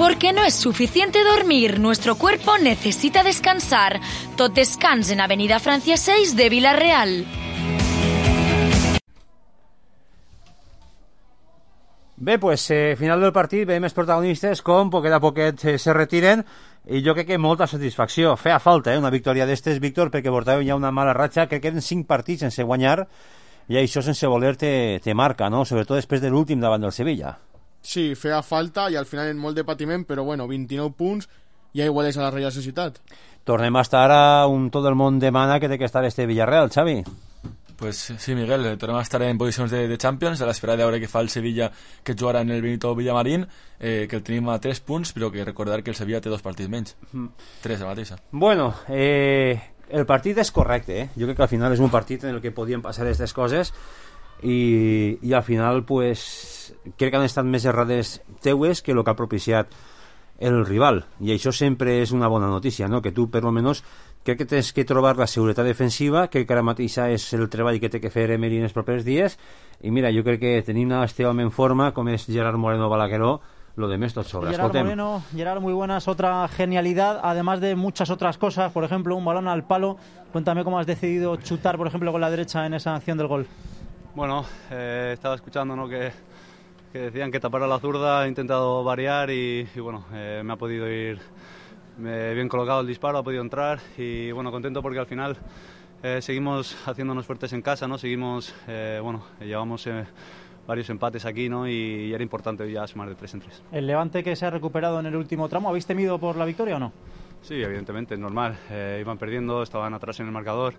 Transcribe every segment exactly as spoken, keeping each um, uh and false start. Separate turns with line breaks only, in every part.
Porque no es suficiente dormir, nuestro cuerpo necesita descansar. Tot descans en Avenida Francia seis de Vila-real.
Bé, pues, eh, final del partit, veiem els protagonistes com poquet a poquet eh, se retiren i jo crec que molta satisfacció. Feia falta eh, una victòria d'estes, Víctor, perquè portàvem ja una mala ratxa, crec que eren cinc partits sense guanyar i això sense voler te, te marca, no? Sobretot després de l'últim davant del Sevilla.
Sí, feia falta i al final en molt de patiment, però bueno, vint-i-nou punts ja iguales a la Real Societat.
Tornem a estar a un tot el món demana que té que estar este Villarreal, Xavi.
Pues sí, Miguel, tornem a estar en posicions de, de Champions, a l'espera de veure què fa el Sevilla, que jugarà en el Benito Villamarín, eh, que el tenim a tres punts, però que recordar que el Sevilla té dos partits menys. Mm. Tres a mateixa.
Bueno, eh, el partit és correcte, eh? Jo crec que al final és un partit en el que podien passar aquestes coses i, i al final, pues, crec que han estat més errades teues que el que ha propiciat el rival, i això sempre és una bona notícia, no? Que tu, per almenys, crec que tens que trobar la seguretat defensiva, que ara mateix és el treball que té que fer Emery en els propers dies, i mira, jo crec que tenim este home en forma, com és Gerard Moreno Balagueró, lo demás tot sobra.
Gerard
Escoltem.
Moreno, Gerard, muy buenas, otra genialidad, además de muchas otras cosas, por ejemplo, un balón al palo. Cuéntame cómo has decidido chutar, por ejemplo, con la derecha en esa acción del gol.
Bueno, eh, estaba escuchando, ¿no?, que, que decían que tapara la zurda, he intentado variar y, y bueno, eh, me ha podido ir eh, bien colocado el disparo, ha podido entrar y bueno, contento porque al final eh, seguimos haciéndonos fuertes en casa, ¿no? Seguimos, eh, bueno, llevamos eh, varios empates aquí, ¿no? Y, y era importante ya sumar de tres en tres.
El Levante que se ha recuperado en el último tramo, ¿habéis temido por la victoria o no?
Sí, evidentemente, es normal. Eh, iban perdiendo, estaban atrás en el marcador.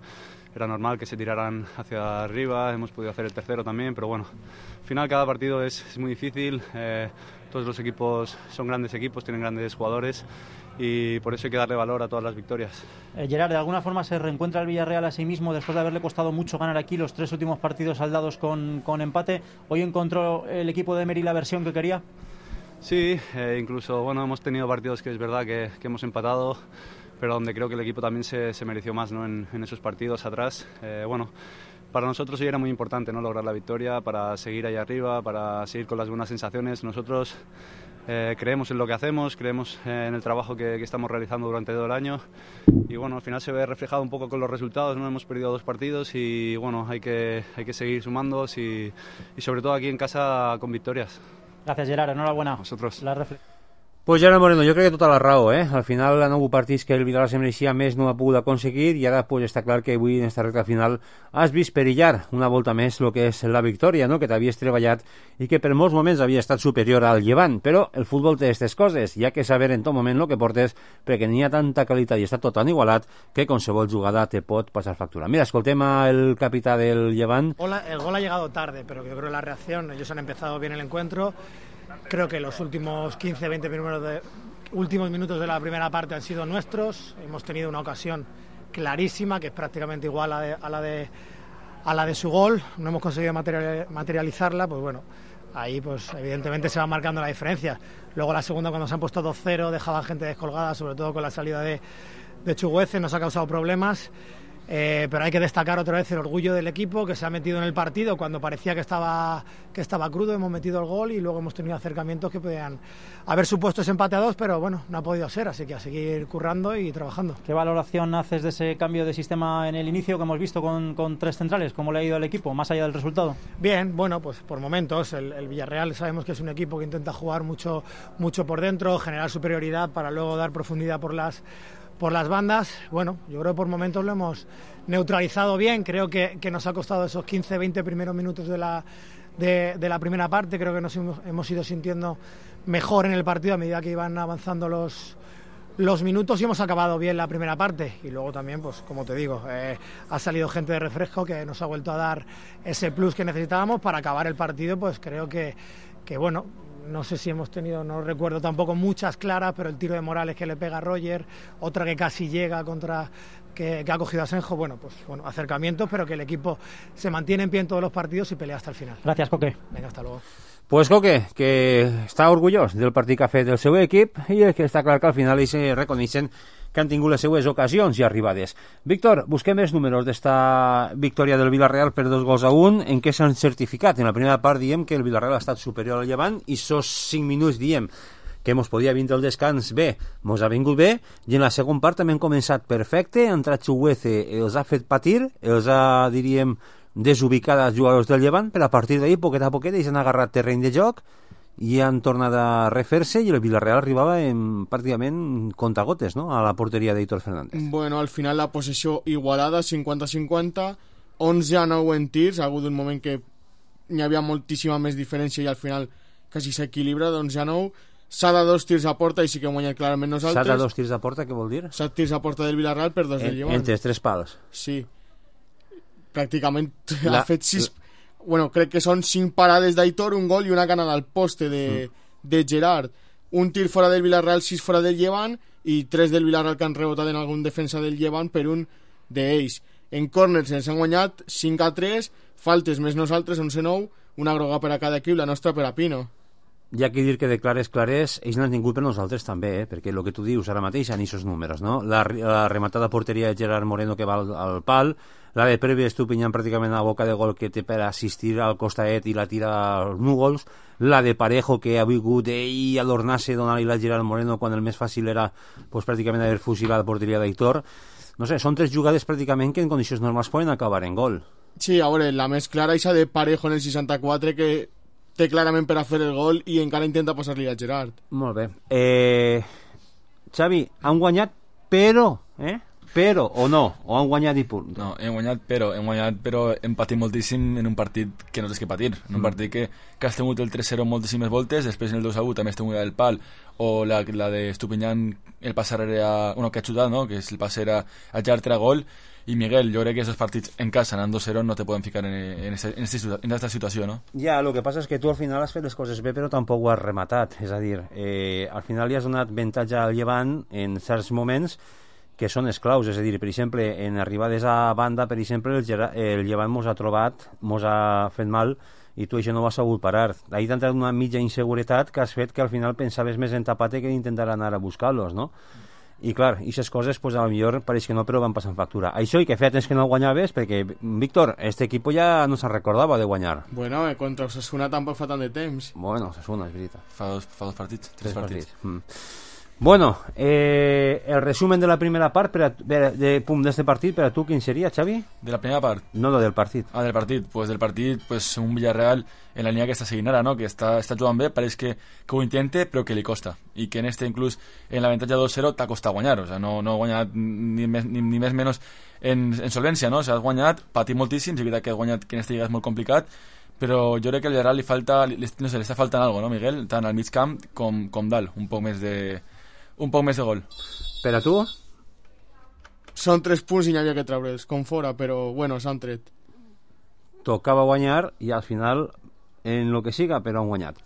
Era normal que se tiraran hacia arriba. Hemos podido hacer el tercero también, pero bueno, al final cada partido es, es muy difícil. Eh, todos los equipos son grandes equipos, tienen grandes jugadores y por eso hay que darle valor a todas las victorias.
Eh, Gerard, ¿de alguna forma se reencuentra el Villarreal a sí mismo después de haberle costado mucho ganar aquí los tres últimos partidos saldados con, con empate? ¿Hoy encontró el equipo de Emery la versión que quería?
Sí, eh, incluso bueno, hemos tenido partidos que es verdad que, que hemos empatado, pero donde creo que el equipo también se, se mereció más, ¿no?, en, en esos partidos atrás. Eh, bueno, para nosotros hoy era muy importante, ¿no?, lograr la victoria, para seguir ahí arriba, para seguir con las buenas sensaciones. Nosotros eh, creemos en lo que hacemos, creemos eh, en el trabajo que, que estamos realizando durante todo el año y bueno, al final se ve reflejado un poco con los resultados, ¿no? Hemos perdido dos partidos y bueno, hay que, hay que seguir sumando y, y sobre todo aquí en casa con victorias.
Gracias, Gerard, enhorabuena.
Vosotros.
La refle-
Pues Gerard Moreno, jo crec que tota la raó, eh? Al final han hagut partits que el Villarreal se mereixia més, no ha pogut aconseguir i ara pues, està clar que avui en esta recta final has vist perillar una volta més el que és la victòria, no?, que t'havies treballat i que per molts moments havia estat superior al Llevant, però el futbol té aquestes coses, hi ha que saber en tot moment el que portes perquè n'hi ha tanta qualitat i està tot tan igualat que qualsevol jugada te pot passar factura. Mira, escoltem el capità del Llevant.
Hola, el gol ha llegado tarde, pero yo creo que la reacción, ellos han empezado bien el encuentro. Creo que los últimos quince veinte minutos de, últimos minutos de la primera parte han sido nuestros. Hemos tenido una ocasión clarísima, que es prácticamente igual a, de, a, la, de, a la de su gol. No hemos conseguido material, materializarla, pues bueno, ahí pues evidentemente se va marcando la diferencia. Luego la segunda, cuando se han puesto dos cero, dejaban gente descolgada, sobre todo con la salida de, de Chuguece, nos ha causado problemas. Eh, pero hay que destacar otra vez el orgullo del equipo que se ha metido en el partido cuando parecía que estaba, que estaba crudo. Hemos metido el gol y luego hemos tenido acercamientos que podían haber supuesto ese empate a dos, pero bueno, no ha podido ser, así que a seguir currando y trabajando.
¿Qué valoración haces de ese cambio de sistema en el inicio que hemos visto con, con tres centrales? ¿Cómo le ha ido al equipo, más allá del resultado?
Bien, bueno, pues por momentos el, el Villarreal sabemos que es un equipo que intenta jugar mucho, mucho por dentro, generar superioridad para luego dar profundidad por las por las bandas. Bueno, yo creo que por momentos lo hemos neutralizado bien. Creo que, que nos ha costado esos quince veinte primeros minutos de la, de, de la primera parte. Creo que nos hemos, hemos ido sintiendo mejor en el partido a medida que iban avanzando los, los minutos y hemos acabado bien la primera parte. Y luego también, pues como te digo, eh, ha salido gente de refresco que nos ha vuelto a dar ese plus que necesitábamos para acabar el partido. Pues creo que, que bueno, no sé si hemos tenido, no recuerdo tampoco muchas claras, pero el tiro de Morales que le pega a Roger, otra que casi llega contra, que, que ha cogido a Senjo, bueno, pues bueno, acercamientos, pero que el equipo se mantiene en pie en todos los partidos y pelea hasta el final.
Gracias, Coque.
Venga, hasta luego.
Pues Coque, que està orgullós del partit que ha fet del seu equip i que està clar que al final ells reconeixen que han tingut les seues ocasions i arribades. Víctor, busquem els números d'esta victòria del Villarreal per dos gols a un. En què s'han certificat? En la primera part diem que el Villarreal ha estat superior al Llevant i sos cinc minuts diem que mos podia vindre el descans bé, mos ha vingut bé, i en la segona part també hem començat perfecte, ha entrat Chuguece, els ha fet patir, els ha, diríem, desubicat els jugadors del Llevant, però a partir d'ahir, poquet a poquet, ells han agarrat terreny de joc i han tornat a refer-se, i el Villarreal arribava en, pràcticament contagotes, no?, a la porteria d'Hitor Fernández.
Bueno, al final la possessió igualada, cinquanta cinquanta, onze a nou en tirs, ha hagut un moment que hi havia moltíssima més diferència i al final quasi s'equilibra, d'onze a nou. S'ha de dos tirs a porta i sí que hem guanyat clarament nosaltres.
S'ha de dos tirs a porta, què vol dir?
Set tirs a porta del Villarreal per dos
en,
del Llevant.
Entre els tres pals.
Sí. Pràcticament
la...
ha fet sis... Bueno, crec que són cinc parades d'Aitor, un gol i una canada al poste de, mm. de Gerard. Un tir fora del Villarreal, sis fora del Llevant, i tres del Villarreal que han rebotat en algun defensa del Llevant per un d'ells. En córners ens han guanyat cinc a tres, faltes més nosaltres, onze a nou, una groga per a cada equip, la nostra per a Pino.
Hi ha que dir que de clares, clares, ells n'han tingut per nosaltres també, eh? Perquè el que tu dius ara mateix en aquests números, no? La, la rematada porteria de Gerard Moreno que va al, al pal, la de Previ Estupinyant pràcticament a la boca de gol que té per assistir al costaet i la tira als núvols, la de Parejo que ha vingut ell a adornar-se donant-li la Gerard Moreno quan el més fàcil era pues, pràcticament haver fusilat la porteria d'Aitor. No sé, són tres jugades pràcticament que en condicions normals poden acabar en gol.
Sí, a veure, la més clara és la de Parejo en el seixanta-quatre que té clarament per a fer el gol i encara intenta passar-li a Gerard.
Molt bé. Eh, Xavi, han guanyat però, eh? Però, o no, o han guanyat i punt.
No, hem guanyat però, hem guanyat però hem patit moltíssim en un partit que no tens que patir, en un mm. partit que, que has tingut el tres zero moltíssimes voltes, després en el dos a u també has tingut el pal, o la, la de Estupinyant, el passar era, bueno, que ha xutat, no?, que és el passar a, a Gerard a gol, i Miguel, jo crec que aquests partits en casa anant dos zero no te poden ficar en, en, esta, en, esta, en esta situació, no?
Ja, el que passa és que tu al final has fet les coses bé però tampoc ho has rematat, és a dir, eh, al final li has donat avantatge al Llevant en certs moments que són esclaus, és a dir, per exemple, en arribades a banda, per exemple, el, el Llevant mos ha trobat, mos ha fet mal, i tu això no ho has sabut parar. Ahir t'ha entrat una mitja inseguretat que has fet que al final pensaves més en Tapate que d'intentar anar a buscar-los, no? I clar, aquestes coses, pues, a lo millor pareix que no, però van passant factura. Això i que fet és que no guanyaves, perquè, Víctor, este equipo ja no se recordava de guanyar.
Bueno, eh, contra Osasuna tampoc fa tant de temps.
Bueno, Osasuna, és veritat.
Fa dos, fa dos partits, tres, tres partits. partits.
Mm. Bueno, eh, el resumen de la primera part per a, de, de, pum, d'este partit, per a tu, quin seria, Xavi?
De la primera part?
No, no, del partit.
Ah, del partit. Pues del partit, pues un Villarreal en la línia que està seguint ara, no? Que està, està jugant bé, pareix que, que ho intente, però que li costa. I que en este, inclús, en l'avantatge dos zero, t'ha costat guanyar. O sea, no, no ha guanyat ni més ni, ni més menys en, en solvència, no? O sea, has guanyat, patit moltíssim, és veritat que has guanyat, que en este lliga és molt complicat, però jo crec que al Villarreal li falta, li, no sé, li està faltant alguna cosa, no, Miguel? Tant al mig camp com, com dalt, un poc més de... un poc més de gol.
Per a tu?
Són tres punts i n'hi havia que treure'ls, com fora, però bueno, s'han tret.
Tocava guanyar i al final, en lo que siga, però han guanyat.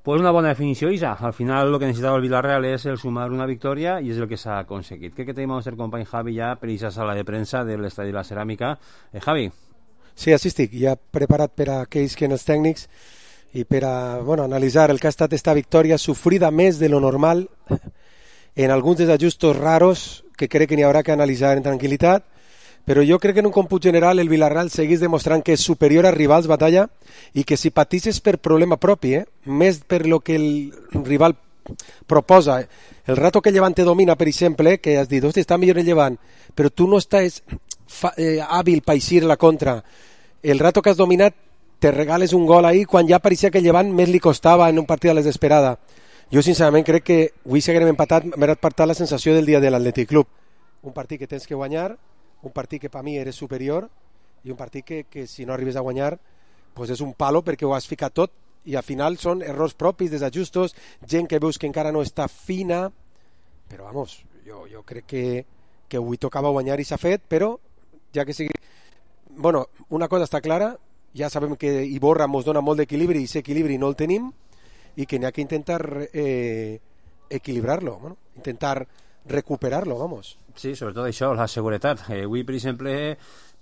Pues una bona definició, Isa. Al final lo que necessitava el Villarreal és el sumar una victòria i és el que s'ha aconseguit. Crec que tenim el nostre company Javi ja per aquesta sala de premsa de l'Estadi de la Ceràmica. Eh, Javi?
Sí, així estic, ja preparat per a aquells que no els tècnics i per a, bueno, analitzar el que ha estat esta victòria sofrida més de lo normal en alguns desajustos raros que crec que n'hi haurà que analitzar en tranquil·litat, però jo crec que en un còmput general el Villarreal segueix demostrant que és superior a rivals batalla i que si patisses per problema propi, eh, més per lo que el rival proposa, el rato que el Llevant te domina, per exemple, que has dit, hòstia, està millor el Llevant, però tu no estàs fa, eh, hàbil per eixir la contra, el rato que has dominat te regales un gol ahí quan ja pareixia que el Llevant més li costava en un partit a la desesperada. Jo sincerament crec que avui seguirem empatat, m'ha empatat la sensació del dia de l'Atlètic Club. Un partit que tens que guanyar, un partit que per mi eres superior i un partit que, que si no arribes a guanyar pues és un palo perquè ho has ficat tot i al final són errors propis, desajustos, gent que veus que encara no està fina, però vamos, jo, jo crec que, que avui tocava guanyar i s'ha fet, però ja que sigui... Bueno, una cosa està clara, ja sabem que Iborra ens dona molt d'equilibri i aquest equilibri no el tenim i que n'hi ha que intentar eh, equilibrar-lo, bueno, intentar recuperar-lo, vamos.
Sí, sobretot això, la seguretat. Eh, avui, per exemple,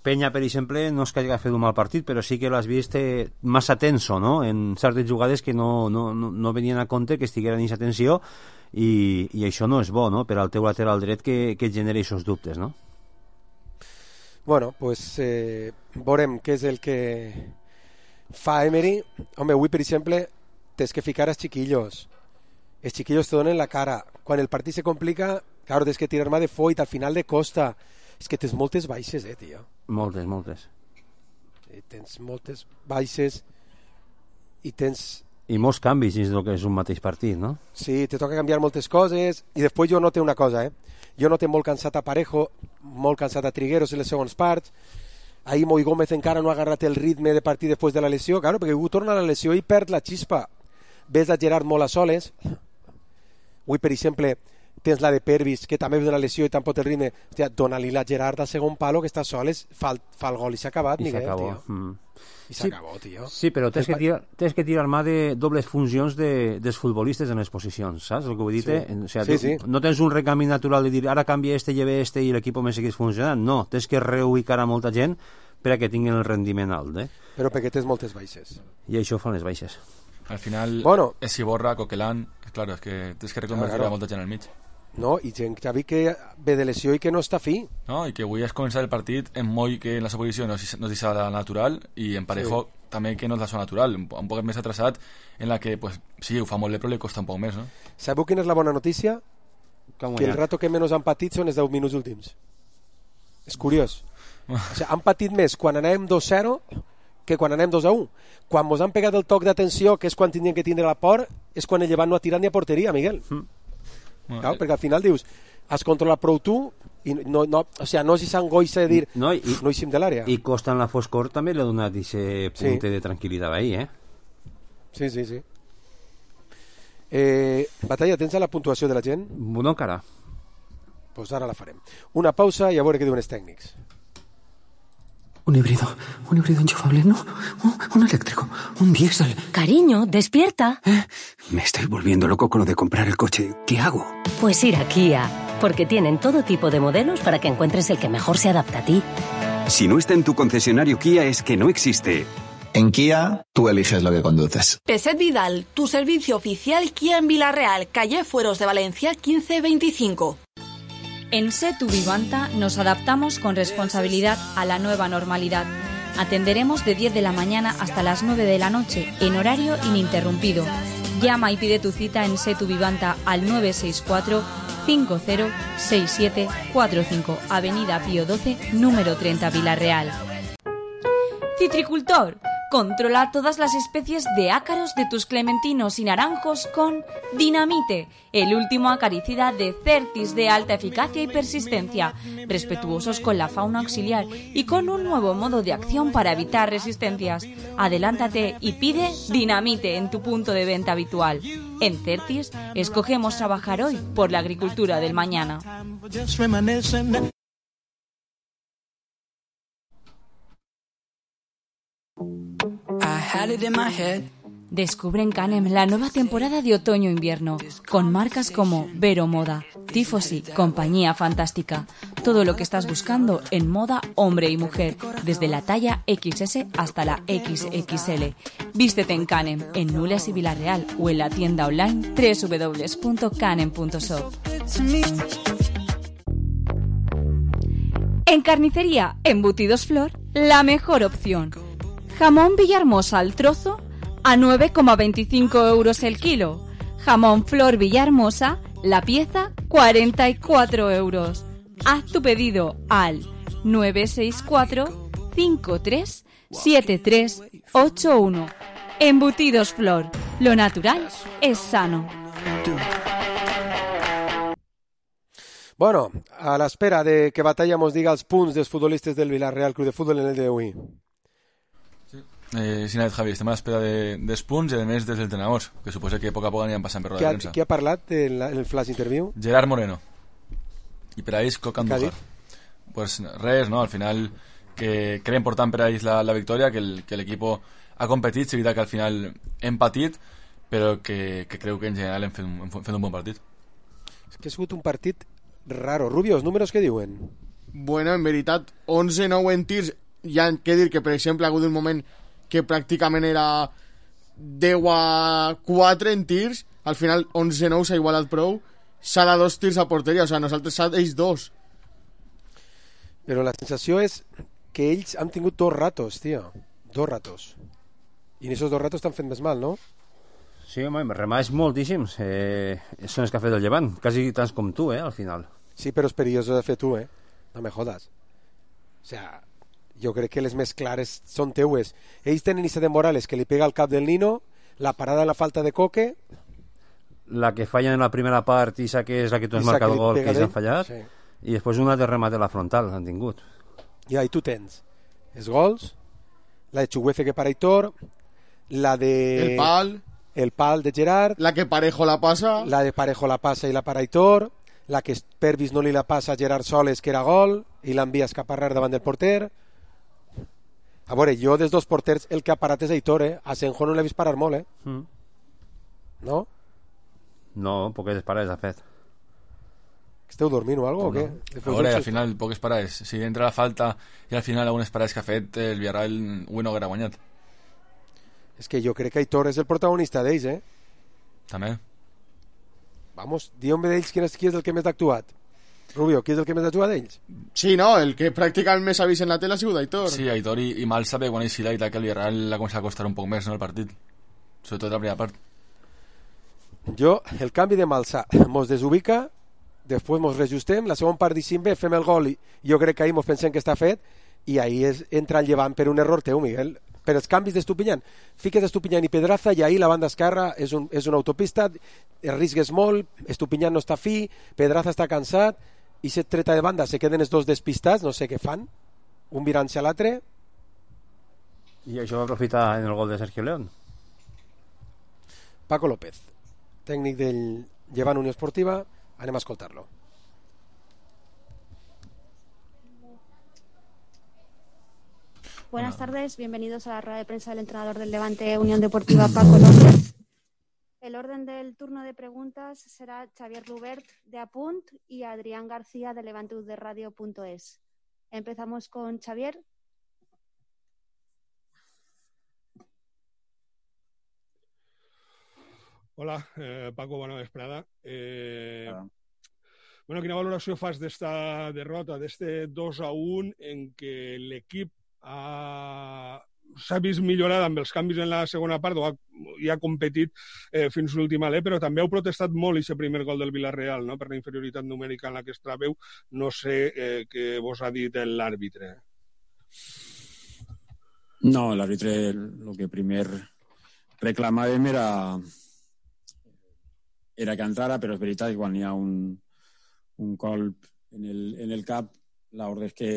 Peña, per exemple, no és que hagi fet un mal partit, però sí que l'has vist eh, massa tenso, no?, en certes jugades que no, no, no, no venien a compte que estigueren en aquesta tensió i, i això no és bo, no?, per al teu lateral dret que, que genera aquests dubtes, no?
Bueno, pues eh, veurem què és el que fa Emery. Home, avui, per exemple, tens que ficar els xiquillos. els chiquillos te donen la cara. Quan el partit se complica, claro, tens que tirar-me de foit, al final de costa. És que tens moltes baixes, eh, tio.
Moltes, moltes.
I tens moltes baixes i tens...
I molts canvis dins del que és un mateix partit, no?
Sí, te toca canviar moltes coses i després jo noto una cosa, eh? Jo noto molt cansat a Parejo, molt cansat a Trigueros en les segons parts. Ahir Moi Gómez encara no ha agarrat el ritme de partit després de la lesió, claro, perquè avui torna a la lesió i perd la xispa. Ves a Gerard molt a soles. Avui, per exemple, tens la de Pervis, que també ve de la lesió i tampoc el ritme. Hòstia, dona-li la Gerard al segon palo, que està soles, fa, fa el gol i s'ha acabat,
I
Miguel,
s'acabó.
tio.
Mm.
I s'acabó, tio.
Sí, però tens que, tirar, tens que tirar mà de dobles funcions de, dels futbolistes en les posicions, saps el que vull dir?
Sí.
O sea,
Sí,
tu,
sí.
No tens un recanvi natural de dir ara canvia este, lleve este i l'equip me segueix funcionant. No, tens que reubicar a molta gent per a que tinguin el rendiment alt, eh?
Però perquè tens moltes baixes.
I això fan les baixes.
Al final,
Bueno.
és Iborra, Coquelin... Claro, és que tens que reconvertir
Claro, claro.
a molta gent al mig.
No? I gent que ha vist que ve de lesió i que no està fi.
No? I que avui has començat el partit en Moi, que en la seva posició no és, no és deixa la natural, i en Parejo sí. també que no és la zona natural, un, un poc més atrasat, en la que, pues, sí, ho fa molt bé, però li costa un poc més, no?
Sabeu quina és la bona notícia?
Com
Que el rato que menys han patit són els deu minuts últims. És curiós. O sigui, han patit més quan anem dos a zero que quan anem dos a u. Quan mos han pegat el toc d'atenció, que és quan tindrien que tindre la por, és quan el Llevant no ha tirat ni a porteria, Miguel. Mm.
Bueno,
Claro, perquè al final dius, has controlat prou tu i no, no, o sigui, no si s'angoixa de dir
No, i,
no eixim de l'àrea.
I Costa en la foscor també li ha donat aquest
Sí.
punte de tranquil·litat ahí, eh?
Sí, sí, sí. Eh, Batalla, tens la puntuació de la gent?
No encara.
Doncs pues ara la farem. Una pausa i a veure què diuen els tècnics.
Un híbrido, un híbrido enchufable, no, un, un eléctrico, un diésel.
Cariño, despierta.
¿Eh? Me estoy volviendo loco con lo de comprar el coche. ¿Qué hago?
Pues ir a Kia, porque tienen todo tipo de modelos para que encuentres el que mejor se adapta a ti.
Si no está en tu concesionario Kia es que no existe.
En Kia, tú eliges lo que conduces.
Peset Vidal, tu servicio oficial Kia en Villarreal, calle Fueros de Valencia quince veinticinco.
En Setu Vivanta nos adaptamos con responsabilidad a la nueva normalidad. Atenderemos de diez de la mañana hasta las nueve de la noche, en horario ininterrumpido. Llama y pide tu cita en Setu Vivanta al nueve seis cuatro, cinco cero seis siete cuatro cinco, Avenida Pío doce, número treinta, Villarreal.
Citricultor, controla todas las especies de ácaros de tus clementinos y naranjos con Dinamite, el último acaricida de Certis de alta eficacia y persistencia, respetuosos con la fauna auxiliar y con un nuevo modo de acción para evitar resistencias. Adelántate y pide Dinamite en tu punto de venta habitual. En Certis, escogemos trabajar hoy por la agricultura del mañana. Descubre en Canem la nueva temporada de otoño-invierno, con marcas como Vero Moda, Tifosi, Compañía Fantástica. Todo lo que estás buscando en moda hombre y mujer, desde la talla equis ese hasta la equis equis ele. Vístete en Canem, en Nules y Villarreal, o en la tienda online doble u doble u doble u punto canem punto shop. En carnicería, Embutidos Flor, la mejor opción. Jamón Villahermosa al trozo a nueve coma veinticinco euros el kilo. Jamón Flor Villahermosa, la pieza, cuarenta y cuatro euros. Haz tu pedido al nueve seis cuatro, cinco tres siete tres ocho uno. Embutidos Flor, lo natural es sano.
Bueno, a l'espera de que Batalla mos diga els punts dels futbolistes del Villarreal Club de Futbol en el d'avui.
Eh, sí, Nadet, Javi, estem a l'espera de, dels punts i a més dels entrenadors, que suposa que a poc a poc aniran passant per roda
Qui
de
ha,
premsa.
qui ha parlat en, la, en el flash interview?
Gerard Moreno. I per a ells, Coca
Què ha
Andújar. Pues res, no? Al final, que, que era important per a ells la, la victòria, que el- que l'equip ha competit, és veritat que al final hem patit, però que, que creu que en general hem fet, un, hem fet un bon partit.
És que ha sigut un partit raro. Rubio, els números que diuen?
Bueno, en veritat, onze nou en tirs. Hi ha que dir que, per exemple, ha hagut un moment que pràcticament era deu a quatre en tirs. Al final, onze nou s'ha igualat prou. S'ha de dos tirs a porteria. O sigui, nosaltres s'ha d'ells dos.
Però la sensació és que ells han tingut dos ratos, tio. Dos ratos. I en esos dos ratos t'han fet més mal, no?
Sí, home, remats moltíssims. Eh, són els que ha fet el Llevant, quasi tants com tu, eh, al final.
Sí, però és perillós de fer tu, eh? No me jodas. O sea, jo crec que les més clares són teues. Ells tenen Issa de Morales, que li pega al cap del Nino, la parada de la falta de Coque...
La que fallen en la primera part, Issa, que és la que tu has
Issa
marcat
que
el
li
gol,
pega
que ells han
d'ell,
fallat,
sí.
I després una de remate a la frontal han tingut.
I ahí tu tens els gols, la de Chuguece que para Aitor, la de...
El pal.
El pal de Gerard.
La que Parejo la passa.
La de Parejo la passa i la para Aitor. La que Pervis no li la passa a Gerard Soles, que era gol, i l'envia a escaparrar davant del porter. A veure, jo dels dos porters el que ha parat és Aitor, eh? A Senjo no l'he vist parar molt, eh?
Mm.
No?
No, poques parades ha fet.
Esteu dormint o algo,
no.
o què?
A veure, al final, poques parades. Si entra la falta i al final algunes parades que ha fet, el Villarreal avui no haguera guanyat.
És que jo crec que Aitor és el protagonista d'ells, eh?
També.
Vamos, digue'm d'ells qui és, qui és el que més ha actuat. Rubio, qui és el que més ha actuat d'ells?
Sí, no, el que pràcticament més ha vist en la tele ha sigut Aitor.
Sí, Aitor i, i mal sabe quan ell i que el Villarreal l'ha començat a costar un poc més, no, el partit. Sobretot la primera part.
Jo, el canvi de Malsà mos desubica, després mos reajustem, la segona part d'Ixim bé, fem el gol i jo crec que ahir mos pensem que està fet i ahir és, entra el Llevant per un error teu, Miguel. Per els canvis d'Estupinyan, fiques Estupinyan i Pedraza i ahir la banda esquerra és, un, és una autopista, arrisques molt, Estupinyan no està fi, Pedraza està cansat i se treta de banda, se queden els dos despistats, no sé què fan, un virant-se a l'altre.
I això va aprofitar en el gol de Sergio León.
Paco López, tècnic del Llevant Unió Esportiva, anem a escoltar-lo.
Buenas tardes, bienvenidos a la rueda de prensa del entrenador del Levante Unión Deportiva, Paco López. El orden del turno de preguntas será Xavier Lubert de Apunt y Adrián García de levante u de radio punto es. Empezamos con Xavier.
Hola, eh, Paco, bona vesprada. Eh, ah. Bueno, quina valoració fas d'esta derrota, d'este dos a un en què l'equip ha... s'ha vist millorat amb els canvis en la segona part, o ha, i ha competit eh, fins l'últim alè, però també heu protestat molt aquest primer gol del Villarreal, no?, per la inferioritat numèrica en la que es trobeu. No sé eh, què vos ha dit l'àrbitre.
No, l'àrbitre el que primer reclamàvem era era que entrara, però és veritat que quan hi ha un, un colp en el, en el cap, l'ordre és que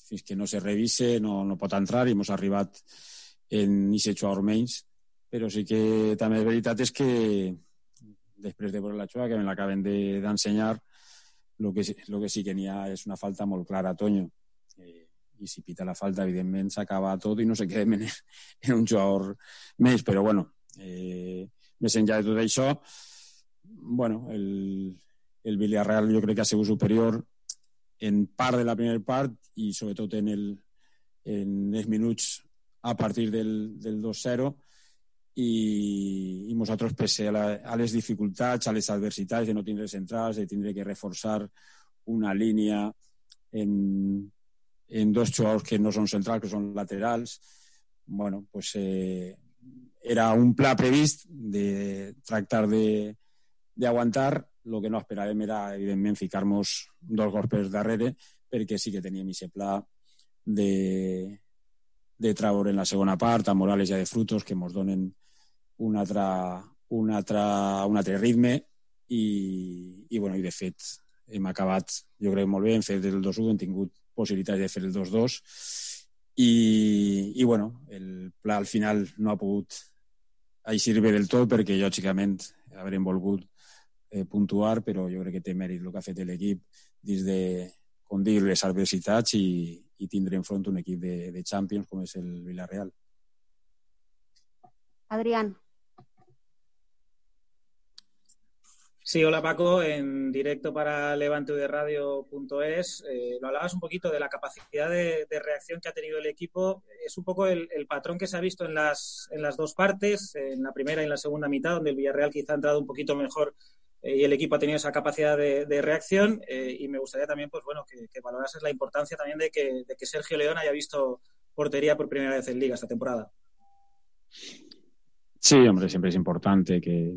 fins que no se revise no, no pot entrar i hemos arribat en aquest jugador menys, però sí que també la veritat és que després de veure la jugada que me l'acaben d'ensenyar, el que, lo que sí que n'hi ha és una falta molt clara a Toño, eh, i si pita la falta evidentment s'acaba tot i no se quedem en, en un jugador més, però bueno, eh, més enllà de tot això, bueno, el, el Villarreal jo crec que ha sigut superior en part de la primera part i sobretot en, el, en els minuts a partir del, del dos zero i, i nosaltres pese a, la, a les dificultats, a les adversitats de no tindre centrals, de tindre que reforçar una línia en, en dos jugadors que no són centrals, que són laterals, bueno, pues eh, era un pla previst de tractar de d'aguantar. El que no esperàvem era, evidentment, ficar-nos dos gols per darrere, perquè sí que teníem aquest pla de, de treure en la segona part a Morales i a de Frutos, que ens donen un altre, un altre, un altre ritme i, i, bueno, i de fet hem acabat, jo crec, molt bé, hem fet el dos u, hem tingut possibilitats de fer el dos dos i, i bueno, el pla al final no ha pogut eixir bé del tot perquè lògicament haurem volgut Eh, puntuar, però jo crec que té mèrit el que ha fet l'equip dins de, com dir, les adversitats i, i tindre enfront un equip de, de Champions com és el Villarreal.
Adrián.
Sí, hola Paco, en directo para levante u de radio punto es. Eh, lo hablabas un poquito de la capacidad de, de reacción que ha tenido el equipo. Es un poco el, el patrón que se ha visto en las, en las dos partes, en la primera y en la segunda mitad, donde el Villarreal quizá ha entrado un poquito mejor y el equipo ha tenido esa capacidad de, de reacción eh, y me gustaría también pues bueno que, que valorases la importancia también de que, de que Sergio León haya visto portería por primera vez en Liga esta temporada.
Sí, hombre, siempre es importante que,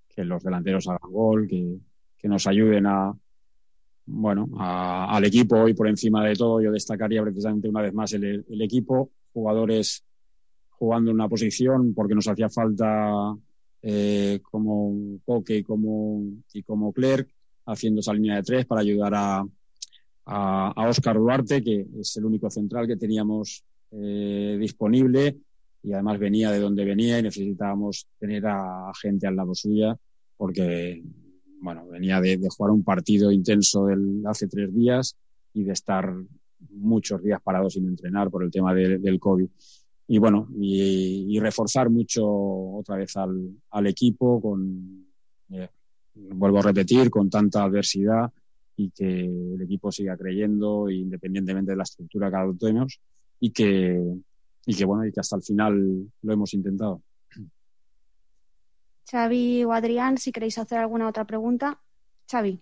que los delanteros hagan gol, que, que nos ayuden a, bueno, a, al equipo hoy por encima de todo. Yo destacaría precisamente una vez más el, el equipo, jugadores jugando en una posición porque nos hacía falta eh, como Coque y como, y como Clerc haciendo esa línea de tres para ayudar a, a, a Óscar Duarte, que es el único central que teníamos eh, disponible y además venía de donde venía y necesitábamos tener a gente al lado suya porque bueno, venía de, de jugar un partido intenso del, hace tres días y de estar muchos días parados sin entrenar por el tema de, del COVID. Y bueno, y, y reforzar mucho otra vez al, al equipo con, eh, vuelvo a repetir, con tanta adversidad y que el equipo siga creyendo independientemente de la estructura que adoptemos y que, y que bueno, y que hasta el final lo hemos intentado.
Xavi o Adrián, si queréis hacer alguna otra pregunta. Xavi.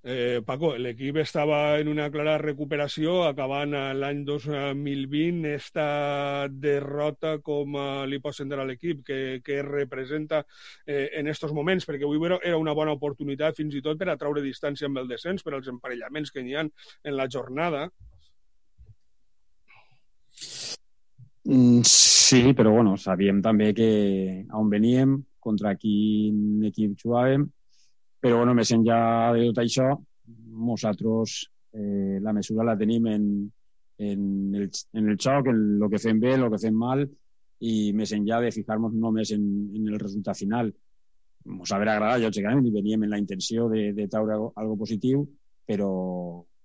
Eh, Paco, l'equip estava en una clara recuperació, acabant l'any dos mil vint, esta derrota com uh, li pot sentir a l'equip, que, que representa eh, en estos moments, perquè avui era una bona oportunitat fins i tot per a traure distància amb el descens, per als emparellaments que n'hi ha en la jornada.
Sí, però bueno, sabíem també que on veníem, contra quin equip jugàvem, però bueno, més enllà de tot això, nosaltres eh, la mesura la tenim en, en, el, en el xoc, en el que fem bé, el que fem mal, i més enllà de fijar-nos només en, en el resultat final. Ens haurà agradat, lògicament, i veníem en la intenció de, de treure algo positiu, però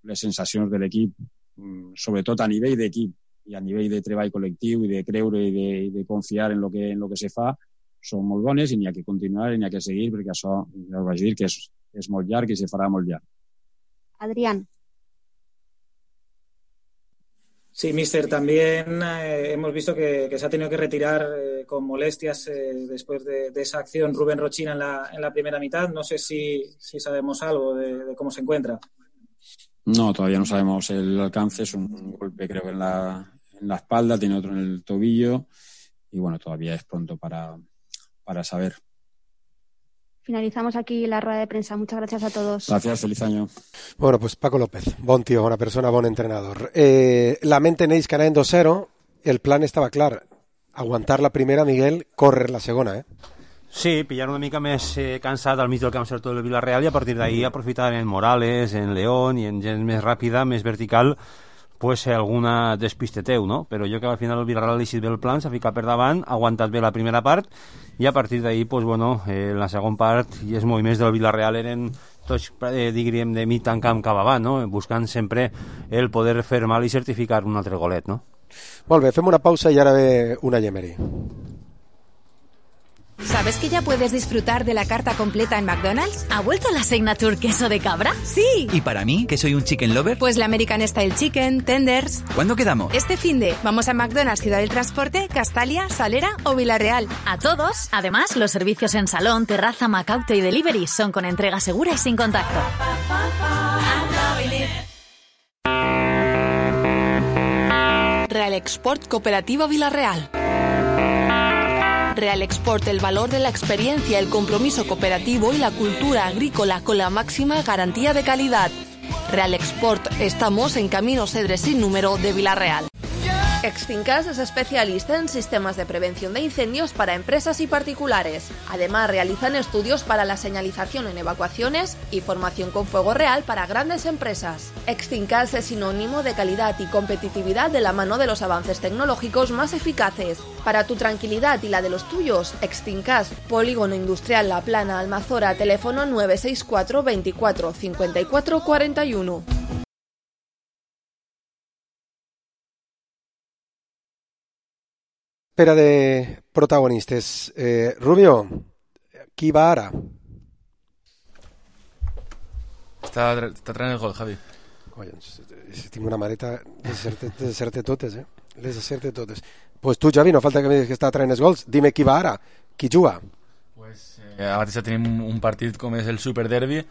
les sensacions de l'equip, sobretot a nivell d'equip, i a nivell de treball col·lectiu i de creure i de, i de confiar en lo que, en lo que se fa, són molt bones i n'hi ha que continuar i n'hi ha que seguir perquè això, ja us vaig dir, que és, és molt llarg i se farà molt llarg.
Adrián.
Sí, mister, también eh, hemos visto que, que se ha tenido que retirar eh, con molestias eh, después de, de esa acción Rubén Rochina en la, en la primera mitad. No sé si, si sabemos algo de, de cómo se encuentra.
No, todavía no sabemos el alcance. Es un golpe, creo que en la, en la espalda, tiene otro en el tobillo y bueno, todavía es pronto para, para saber.
Finalizamos aquí la rueda de prensa. Muchas gracias a todos.
Gracias, feliz año.
Bueno, pues Paco López, bon tío, bona persona, bon entrenador. Eh, la mente en ells que anàvem dos cero, el plan estava clar. Aguantar la primera, Miguel, córrer la segona, eh?
Sí, pillar una mica més eh, cansat al mig del camp sector del Villarreal i a partir d'ahí aprofitar en Morales, en León i en gent més ràpida, més vertical, pues alguna despiste teu, no? Però jo que al final el Villarreal ha deixat bé el plan, s'ha ficat per davant, ha aguantat bé la primera part i a partir d'ahí, pues bueno, eh, la segona part i els moviments del Villarreal eren tots, eh, diríem, de mig tant camp cap avant, no? Buscant sempre el poder fer mal i certificar un altre golet, no?
Molt bé, fem una pausa i ara ve una Emery.
¿Sabes que ya puedes disfrutar de la carta completa en McDonald's? ¿Ha vuelto la Signature queso de cabra? ¡Sí!
¿Y para mí, que soy un chicken lover?
Pues la American Style Chicken, Tenders...
¿Cuándo quedamos?
Este finde. Vamos a McDonald's Ciudad del Transporte, Castalia, Salera o Villarreal.
A todos. Además, los servicios en salón, terraza, Macauto y delivery son con entrega segura y sin contacto.
Real Export Cooperativa Villarreal. Real Export, el valor de la experiencia, el compromiso cooperativo y la cultura agrícola con la máxima garantía de calidad. Real Export, estamos en Camino Cedre sin número de Villarreal. Extincas es especialista en sistemas de prevención de incendios para empresas y particulares. Además, realizan estudios para la señalización en evacuaciones y formación con fuego real para grandes empresas. Extincas es sinónimo de calidad y competitividad de la mano de los avances tecnológicos más eficaces. Para tu tranquilidad y la de los tuyos, Extincas, Polígono Industrial La Plana, Almazora, teléfono nueve seis cuatro veinticuatro cincuenta y cuatro cuarenta y uno.
Espera de protagonistes. Eh, Rubio, qui va ara?
Està, està traient el gol, Javi.
Collons, tinc una maleta de deserte totes, eh? Les deserte totes. Pues tu, Javi, no falta que me diguis que està traient els gols. Dime qui va ara, qui juga.
Pues eh, ara mateix tenim un partit com és el Superderbi,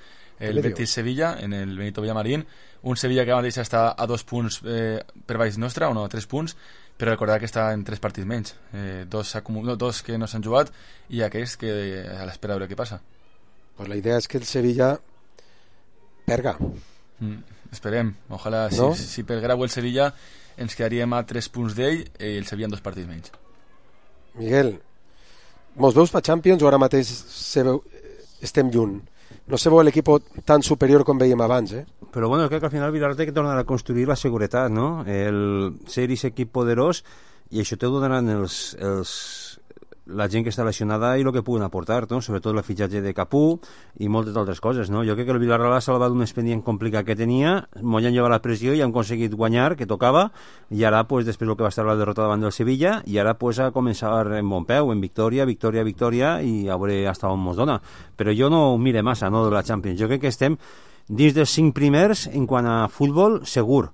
el Betis-Sevilla, en el Benito Villamarín. Un Sevilla que ara mateix està a dos punts eh, per baix nostra, o no, a tres punts, però recordar que està en tres partits menys, eh, dos, acumul... dos que no s'han jugat i aquells que a l'espera de veure què passa.
Pues la idea és que el Sevilla perga.
Mm, esperem, ojalà
no?
si, si pergrau el Sevilla ens quedaríem a tres punts d'ell i el Sevilla en dos partits menys.
Miguel, mos veus pa Champions o ara mateix se veu, estem lluny? No se veu l'equip tan superior com veiem abans, eh?
Però bueno, crec que al final Villarreal té que tornar a construir la seguretat, no? El ser aquest equip poderós, i això te ho donaran els, els, la gent que està lesionada i el que puguen aportar, no? Sobretot el fitxatge de Capú i moltes altres coses, no? Jo crec que el Villarreal ha salvat un expedient complicat que tenia, molt han llevat la pressió i han aconseguit guanyar, que tocava, i ara, pues, després el que va estar la derrota davant del Sevilla, i ara, pues, a començar en bon peu, en victòria, victòria, victòria, i a veure hasta on mos dona. Però jo no ho mire massa, no, de la Champions. Jo crec que estem dins dels cinc primers en quant a futbol, segur.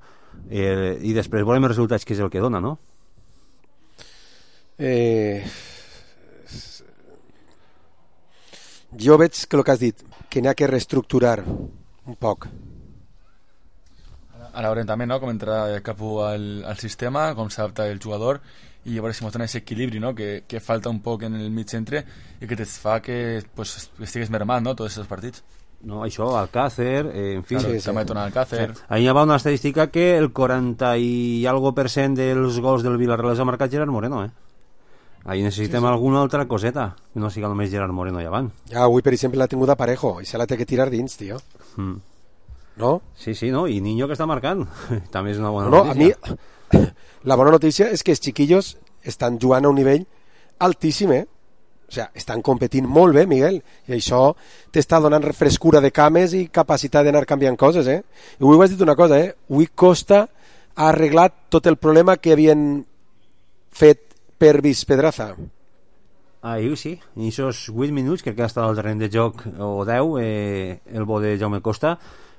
Eh, I després veurem els resultats, que és el que dona, no?
Eh... Jo veig que el que has dit, que n'hi ha que reestructurar un poc.
Ara veurem també, no?, com entra Capú al, al sistema, com s'adapta el jugador, i a veure si mostren aquest equilibri, no?, que, que falta un poc en el mig centre i que et fa que, pues, estigues mermant, no?, tots aquests partits.
No, això, Alcácer, eh, en fi...
Claro, sí, sí. També torna Alcácer.
Sí. Ahí hi va una estadística que el quaranta i algo per cent dels gols del Villarreal ha marcat Gerard Moreno, eh? Ahí necessitem sí, sí. alguna altra coseta, no siga només Gerard Moreno i avant.
Ja, avui, per exemple, l'ha tingut a Parejo i se l'ha té que tirar dins, tio. Mm. No?
Sí, sí, no, i Niño que està marcant. També és una bona
no,
notícia.
A mi, la bona notícia és que els xiquillos estan jugant a un nivell altíssim, eh? O sigui, estan competint molt bé, Miguel, i això t'està donant frescura de cames i capacitat d'anar canviant coses, eh? I avui ho has dit una cosa, eh? Avui Costa ha arreglat tot el problema que havien fet per Pedraza.
Ahir sí, en aquests vuit minuts crec que ha estat al terreny de joc o deu, eh, el bo de Jaume Costa,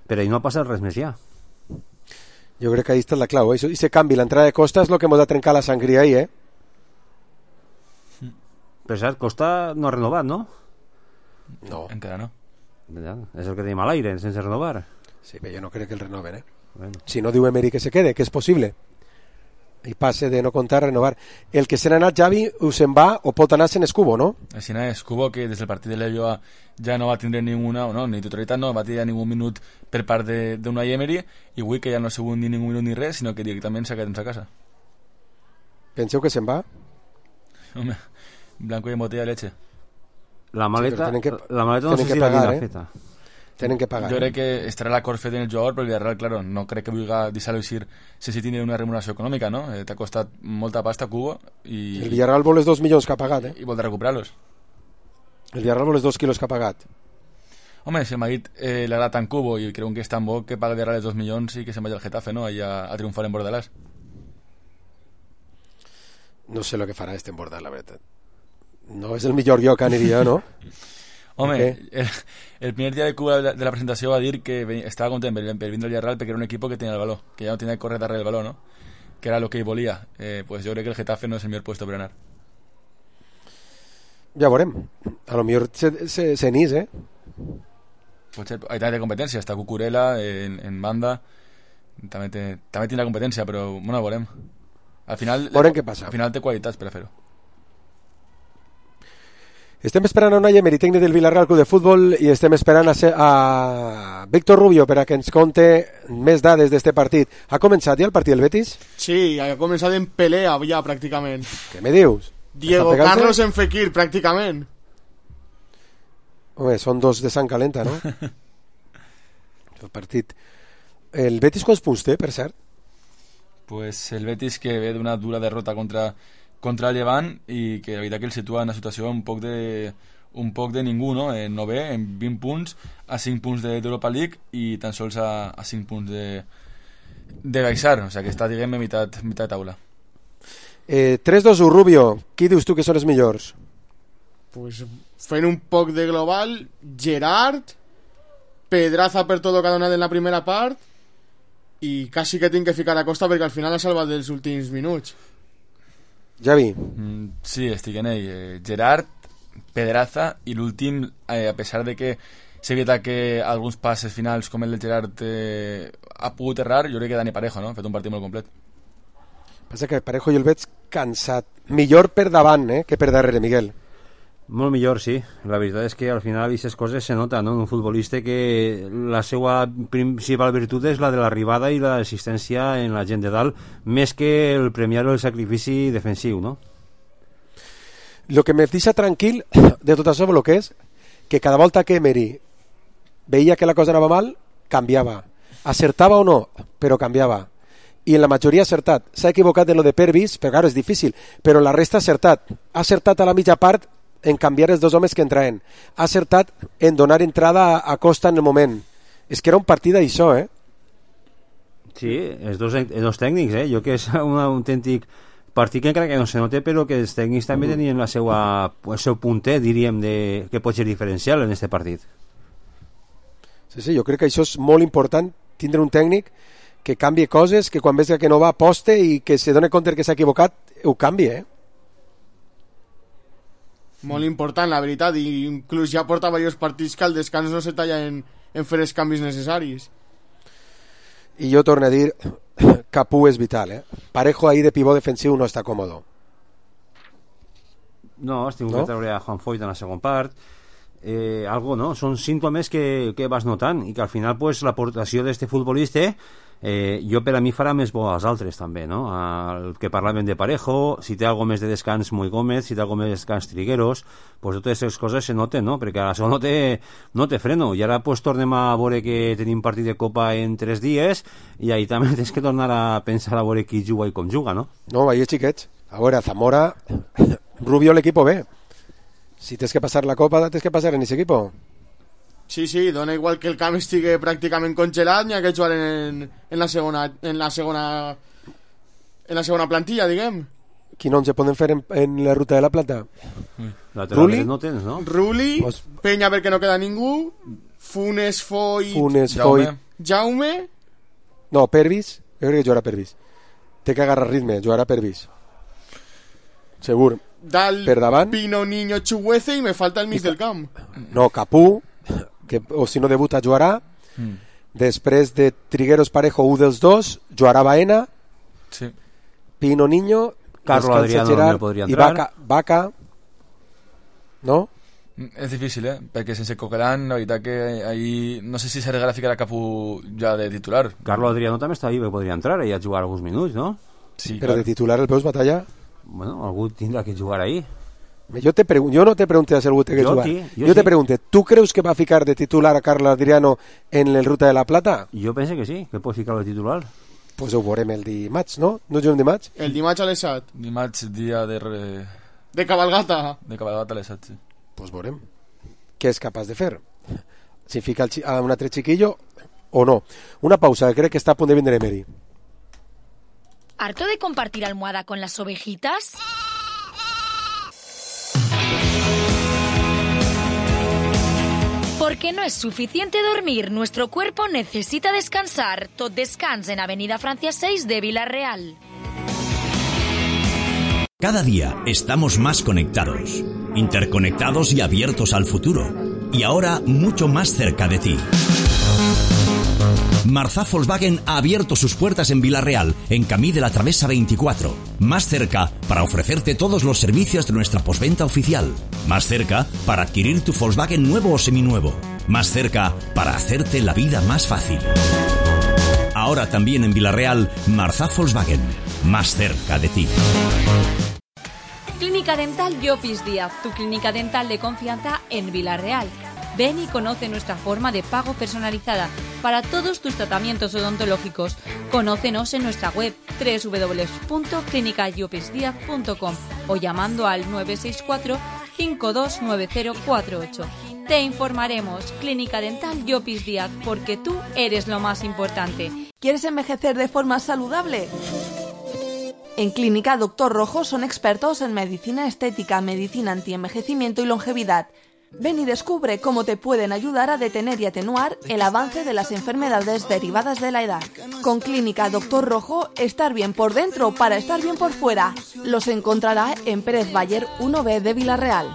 però ahir no ha passat res més ja.
Jo crec que ahí està la clau, eh? I se canvi l'entrada de Costa és el que ens ha trencat la sangria ahir, eh?
Per cert, Costa no ha renovat, no?
No.
Encara no.
Ja, és el que tenim a l'aire, sense renovar.
Sí, però jo no crec que el renoven, eh?
Bueno.
Si no diu Emery que se quede, que és possible. I passe de no comptar a renovar. El que se n'ha anat Xavi o se'n va o pot anar-se'n Escubo, no?
Així n'ha Escubo, que des del partit de l'Ello ja no va tindre ninguna, no, ni titularitat, no va tenir ningú minut per part d'una Emery, i avui que ja no ha sigut ni ningú minut ni res, sinó que directament s'ha quedat a casa.
Penseu que se'n va?
Home, blanco i en botella de leche.
La maleta,
sí, que,
la maleta no sé si
pagar,
la
eh?
feta.
Tenen que pagar.
Jo crec
eh?
que estarà l'acord fet en el jugador, però el Villarreal, claro, no crec que vulgui deixar-lo eixir sense tenir una remuneració econòmica, no? Eh, T'ha costat molta pasta a Cubo i...
El Villarreal vol els dos milions que ha pagat, eh?
I vol de recuperar-los.
El Villarreal vol els dos quilos que ha pagat.
Home, si el Madrid eh, l'ha tan Cubo i creu que és tan bo que paga el Villarreal els dos milions i que se'n vagi al Getafe, no? Allà a triomfar en Bordalàs.
No sé el que farà este en Bordalàs, la veritat. No és el millor lloc que aniria, no?
Home, el, el primer dia de Cuba de la presentació va dir que estava content per, per vindre al Villarreal perquè era un equip que tenia el valor, que ja no tenia que córrer darrere del valor, no? Que era el que ell volia. Eh, pues jo crec que el Getafe no és el millor puesto per anar.
Ja veurem. A lo millor se, se, se n'ís, eh?
Pot ser, hay també competència, està Cucurella en, en banda, també, té, també tindrà competència, però bueno, veurem. Al final,
veurem què passa.
Al final té qualitats per a fer-ho.
Estem esperant a Unai Emery, tècnic del Villarreal Club de Futbol, i estem esperant a, ser, a Víctor Rubio per a que ens conte més dades d'este partit. Ha començat ja el partit del Betis?
Sí, ha començat en pelea ja pràcticament.
Què me dius?
Diego Carlos en Fekir, pràcticament.
Home, són dos de sang calenta, no? El partit... El Betis quants punts té, per cert?
Pues el Betis que ve d'una dura derrota contra... contra el Llevant i que la veritat que el situa en una situació un poc de, un poc de ningú, no? En novè, en vint punts, a cinc punts d'Europa League i tan sols a, a cinc punts de, de baixar, o sigui que està, diguem, a meitat, meitat taula.
Eh, tres dos u, Rubio, qui dius tu que són els millors?
Pues fent un poc de global, Gerard, Pedraza per tot el que ha donat en la primera part i quasi que tinc que ficar a Costa perquè al final ha salvat dels últims minuts.
Javi.
Mm, sí, estic en ell. Eh, Gerard, Pedraza i l'últim, eh, a pesar de que s'ha evitat que alguns passes finals com el de Gerard eh, ha pogut errar, jo crec que Dani Parejo, no? Ha fet un partit molt complet.
Passa que Parejo jo el veig cansat. Millor per davant, eh, que per darrere, Miguel.
Molt millor, sí. La veritat és que al final aquestes coses se nota, no? Un futbolista que la seva principal virtut és la de l'arribada i l'assistència en la gent de dalt, més que el premiar el sacrifici defensiu, no?
Lo que me deixa tranquil de tot això, lo que és que cada volta que Emery veia que la cosa anava mal, canviava. Acertava o no, però canviava. I en la majoria ha acertat. S'ha equivocat en lo de Pervis, però claro, és difícil, però la resta ha acertat. Ha acertat a la mitja part en canviar els dos homes que entraven. Ha acertat en donar entrada a Costa en el moment. És que era un partit d'això, eh?
Sí, els dos, els dos tècnics, eh? Jo que és un autèntic partit que encara que no se note, però que els tècnics també tenien la seva, el seu punter, diríem, de, que pot ser diferencial en este partit.
Sí, sí, jo crec que això és molt important, tindre un tècnic que canvi coses, que quan veus que no va aposte i que se doni compte que s'ha equivocat, ho canvi, eh?
Molt important, la veritat, i inclús ja porta diversos partits que al descans no se talla en, en fer els canvis necessaris.
I jo torno a dir, Capú és vital, eh? Parejo ahí de pivot defensiu no està còmodo.
No, has tingut
no?
que treure a Juan Foyt en la segona part. Eh, algo, no? Són símptomes que, que vas notant i que al final pues, l'aportació d'este futbolista eh, jo per a mi farà més bo als altres també, no? El que parlaven de Parejo, si té algo més de descans Muy Gómez, si té algo més de descans Trigueros, pues totes aquestes coses se noten, no? Perquè ara això no té, no té freno i ara pues tornem a veure que tenim partit de Copa en tres dies i ahí també tens que tornar a pensar a veure qui juga i com juga, no?
No, ahí xiquets, a veure, Zamora Rubio l'equipo B. Si tens que passar la Copa, tens que passar en aquest equip.
Sí, sí, dona igual que el camp estigui pràcticament congelat, n'hi ha que jugar en, en la segona en la segona en la segona plantilla, diguem.
Quin onze poden fer en, en la ruta de la Plata?
La Ruli? No tens, no?
Ruli, pues... Peña perquè no queda ningú, Funes, Foyt,
Funes, Foyt,
Jaume...
No, Pervis, jo crec que jugarà Pervis. Té que agarrar ritme, jugarà Pervis. Segur.
Dal,
per davant,
Pino, Niño, Chuguece i me falta el mig del camp.
No, Capú, que, o si no debuta jugarà. Mm. Després de Trigueros, Parejo, un dels dos, jugarà Baena.
Sí.
Pino, Niño,
Carlos Adriano
Gerard,
no podria
i
entrar.
Vaca, Vaca. No?
És difícil, eh? Perquè sense Coquelin, la veritat que ahí no sé si s'arreglarà a ficar a Capú ja de titular.
Carlos Adriano també està ahí, que podria entrar i a jugar alguns minuts, no?
Sí, però clar. De titular el veus batalla?
Bueno, algú tindrà que jugar ahí.
Yo, te pregun- yo no te pregunté si algú té que
yo
jugar.
Sí,
yo
yo
te
sí.
pregunté, ¿tú crees que va a ficar de titular a Carlos Adriano en el Ruta de la Plata?
Yo pensé que sí, que pot ficar de titular.
Pues ho veurem el dimarts, no? No juguem dimarts?
El dimarts a les set.
Dimarts, dia de... Re...
De cabalgata.
De cabalgata a les set, sí.
Pues veurem. Què és capaç de fer? Si fica el chi- a un altre chiquillo o no. Una pausa, que crec que està a punt de vindre Emery.
¿Harto de compartir almohada con las ovejitas? Porque no es suficiente dormir, nuestro cuerpo necesita descansar. Tot Descans en Avenida Francia seis de Villarreal.
Cada día estamos más conectados, interconectados y abiertos al futuro. Y ahora mucho más cerca de ti. Marzá Volkswagen ha abierto sus puertas en Villarreal, en Camí de la Travesa veinticuatro. Más cerca para ofrecerte todos los servicios de nuestra postventa oficial. Más cerca para adquirir tu Volkswagen nuevo o seminuevo. Más cerca para hacerte la vida más fácil. Ahora también en Villarreal, Marzá Volkswagen. Más cerca de ti.
Clínica Dental Llopis Díaz, tu clínica dental de confianza en Villarreal. Ven y conoce nuestra forma de pago personalizada para todos tus tratamientos odontológicos. Conócenos en nuestra web doble u doble u doble u punto clínica llopis díaz punto com o llamando al nueve seis cuatro, cinco dos nueve cero cuatro ocho. Te informaremos. Clínica Dental Llopis Díaz, porque tú eres lo más importante.
¿Quieres envejecer de forma saludable? En Clínica Doctor Rojo son expertos en medicina estética, medicina antienvejecimiento y longevidad. Ven y descubre cómo te pueden ayudar a detener y atenuar el avance de las enfermedades derivadas de la edad. Con Clínica Doctor Rojo, estar bien por dentro para estar bien por fuera. Los encontrará en Pérez Bayer uno B de Villarreal.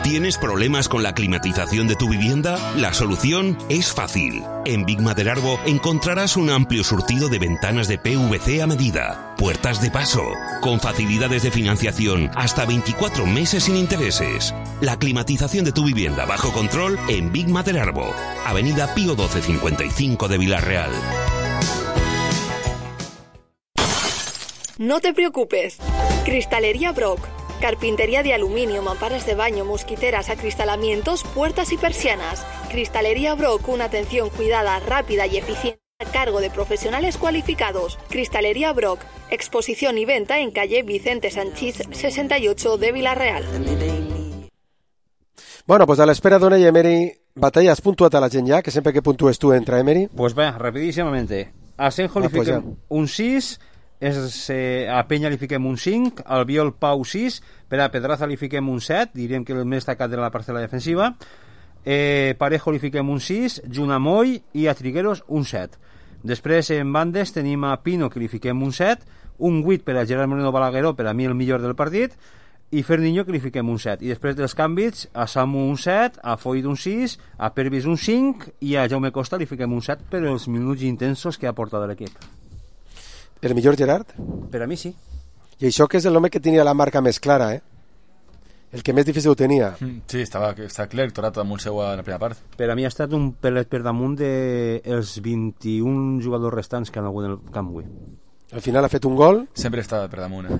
¿Tienes problemas con la climatización de tu vivienda? La solución es fácil. En Big Maderarbo encontrarás un amplio surtido de ventanas de P V C a medida, puertas de paso, con facilidades de financiación hasta veinticuatro meses sin intereses. La climatización de tu vivienda bajo control en Big Maderarbo, Avenida Pío doce cincuenta y cinco de Villarreal.
No te preocupes. Cristalería Brock. Carpintería de aluminio, mamparas de baño, mosquiteras, acristalamientos, puertas y persianas. Cristalería Brock, una atención cuidada, rápida y eficiente a cargo de profesionales cualificados. Cristalería Brock, exposición y venta en calle Vicente Sanchís sesenta y ocho de Villarreal.
Bueno, pues a l'espera d'una i Emery, batalla, has puntuat a la gent ja, que sempre que puntues tu entra Emery?
Pues va, rapidíssimamente. A Senjo li
Ah, pues
fiquem
ja.
un sis, és, eh, a Penya li fiquem un cinc, al Biol Pau sis, per a Pedraza li fiquem un set, diríem que el més destacat de la parcel·la defensiva, eh, Parejo li fiquem un sis, Junamoy i a Trigueros un set. Després en bandes tenim a Pino que li fiquem un set, un vuit per a Gerard Moreno Balagueró, per a mi el millor del partit, i Ferniño que li fiquem un set. I després dels canvis, a Samu un set, a Foyt un sis, a Pervis un cinc i a Jaume Costa li fiquem un set per els minuts intensos que ha portat l'equip.
El millor Gerard?
Per a mi sí.
I això que és l'home que tenia la marca més clara, eh? El que més difícil ho tenia.
Sí, estava, estava clar, torat damunt seu en la primera part.
Per a mi ha estat un pelet per damunt dels vint-i-un jugadors restants que han hagut en el camp avui.
Al final ha fet un gol.
Sempre està per damunt, eh?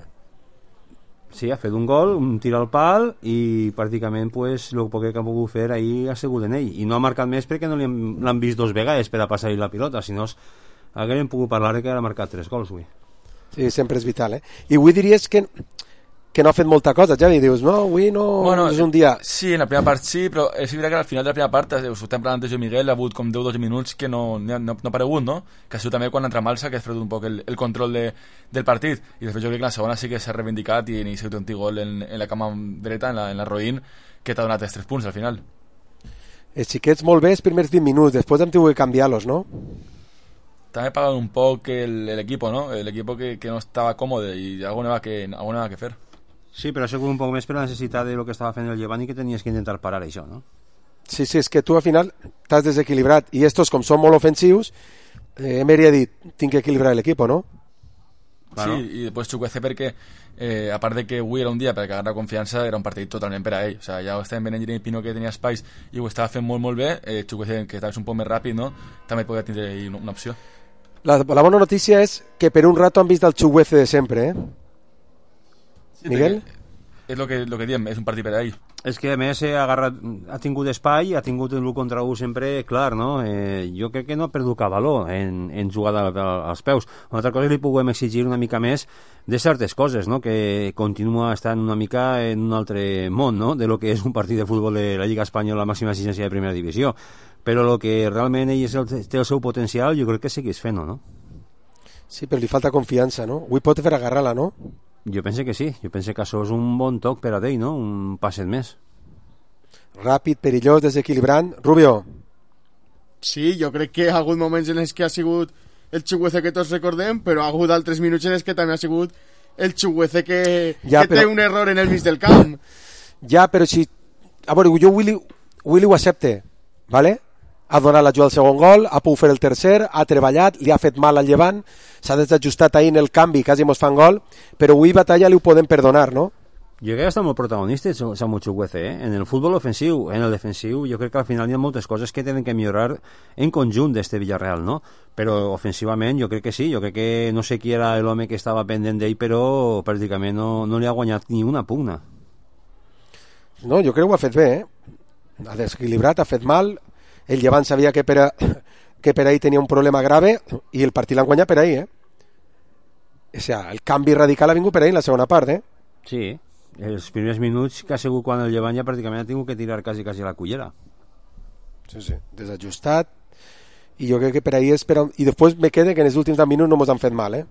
Sí, ha fet un gol, un tir al pal i pràcticament pues, el poc que ha pogut fer ahir ha sigut en ell. I no ha marcat més perquè no l'han vist dos vegades per a passar-hi la pilota, si no haguem pogut parlar que ha marcat tres gols avui.
Sí, sempre és vital, eh? I avui diries que, que no ha fet molta cosa, Javi, dius, no, avui no
bueno,
és un dia...
Sí, en la primera part sí, però és veritat que al final de la primera part, us ho estem parlant antes jo i Miguel, ha hagut com deu o dotze minuts que no, no, no ha aparegut, no? Que ha sigut també quan entra Malsa, que ha fet un poc el, el control de, del partit, i després jo crec que la segona sí que s'ha reivindicat i ha sigut un gol en, en la cama dreta, en la, en la Roïn, que t'ha donat els tres punts al final.
Els xiquets molt bé els primers vint minuts, després hem tingut que canviar-los, no?
També pagado un poco el, el equipo, ¿no? El equipo que, que no estaba cómodo y algo nada que, algo nada que hacer.
Sí, però ha sigut un poc més per la necessitat de lo que estava fent el Llevant i que tenies que intentar parar això, no?
Sí, sí, és que tu al final t'has desequilibrat i estos com són molt ofensius, eh, Emery ha dit, tinc que equilibrar l'equip, no?
Claro. Sí, i després Chukwueze perquè eh, a part de que avui era un dia per agarrar confiança, era un partit totalment per a ell, o sea, ja ho estàvem veient en Jeremy Pino que tenia espais i ho estava fent molt molt bé, eh, Chukwueze que estava un poc més ràpid, no? També podia tindre una, una opció.
La, la bona notícia és que per un rato han vist el Chukwueze de sempre, eh?
Sí,
Miguel?
És el que, lo que diem, és un partit per a ell.
És que a més ha, agarrat, ha tingut espai, ha tingut l'u contra u sempre clar, no? Eh, jo crec que no ha perdut cap valor en, en jugar als peus. Una altra cosa li puguem exigir una mica més de certes coses, no? Que continua estant una mica en un altre món, no? De lo que és un partit de futbol de la Lliga Espanyola, la màxima exigència de primera divisió. Però el que realment ell és el, té el seu potencial, jo crec que segueix fent-ho, no?
Sí, però li falta confiança, no? Avui pot fer agarrar-la, no?
Jo penso que sí, jo penso que això és un bon toc per a ell, no? Un passet més.
Ràpid, perillós, desequilibrant. Rubio.
Sí, jo crec que ha hagut moments en els que ha sigut el Chukwueze que tots recordem, però ha hagut altres minuts en els que també ha sigut el Chukwueze que,
ja,
que
però...
té un error en el mig del camp.
Ja, però si... A veure, jo Willy, Willy ho accepte, ¿vale? Ha donat l'ajuda al segon gol, ha pogut fer el tercer, ha treballat, li ha fet mal al Llevant, s'ha desajustat ahir en el canvi, quasi mos fan gol, però avui batalla li ho podem perdonar, no?
Jo crec que està molt protagonista Samu Chukwueze, eh? En el futbol ofensiu, en el defensiu, jo crec que al final hi ha moltes coses que tenen que millorar en conjunt d'este Villarreal, no? Però ofensivament jo crec que sí, jo crec que no sé qui era l'home que estava pendent d'ell, però pràcticament no, no li ha guanyat ni una pugna.
No, jo crec que ho ha fet bé, eh? Ha desequilibrat, ha fet mal, el Llevant sabia que per, a, que per ahir tenia un problema grave i el partit l'han guanyat per ahir, eh? O sigui, el canvi radical ha vingut per ahir en la segona part, eh?
Sí, els primers minuts que ha sigut quan el Llevant ja pràcticament ha tingut que tirar quasi quasi la cullera.
Sí, sí, desajustat, i jo crec que per ahir és per... I després me queda que en els últims deu minuts no mos han fet mal, eh?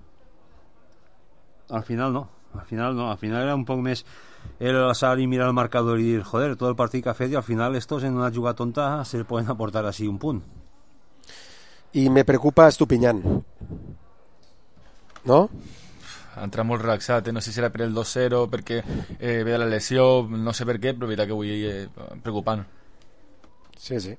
Al final no, al final no, al final era un poc més el alçar i mirar el marcador i dir, joder, tot el partit que ha fet i al final estos en una jugada tonta se poden aportar així un punt.
I me preocupa Estupiñán, ¿no?
A ha entrat molt relaxat, eh? No sé si era per el dos zero, perquè eh, ve de la lesió, no sé per què, però veritat que avui eh, preocupant.
Sí, sí.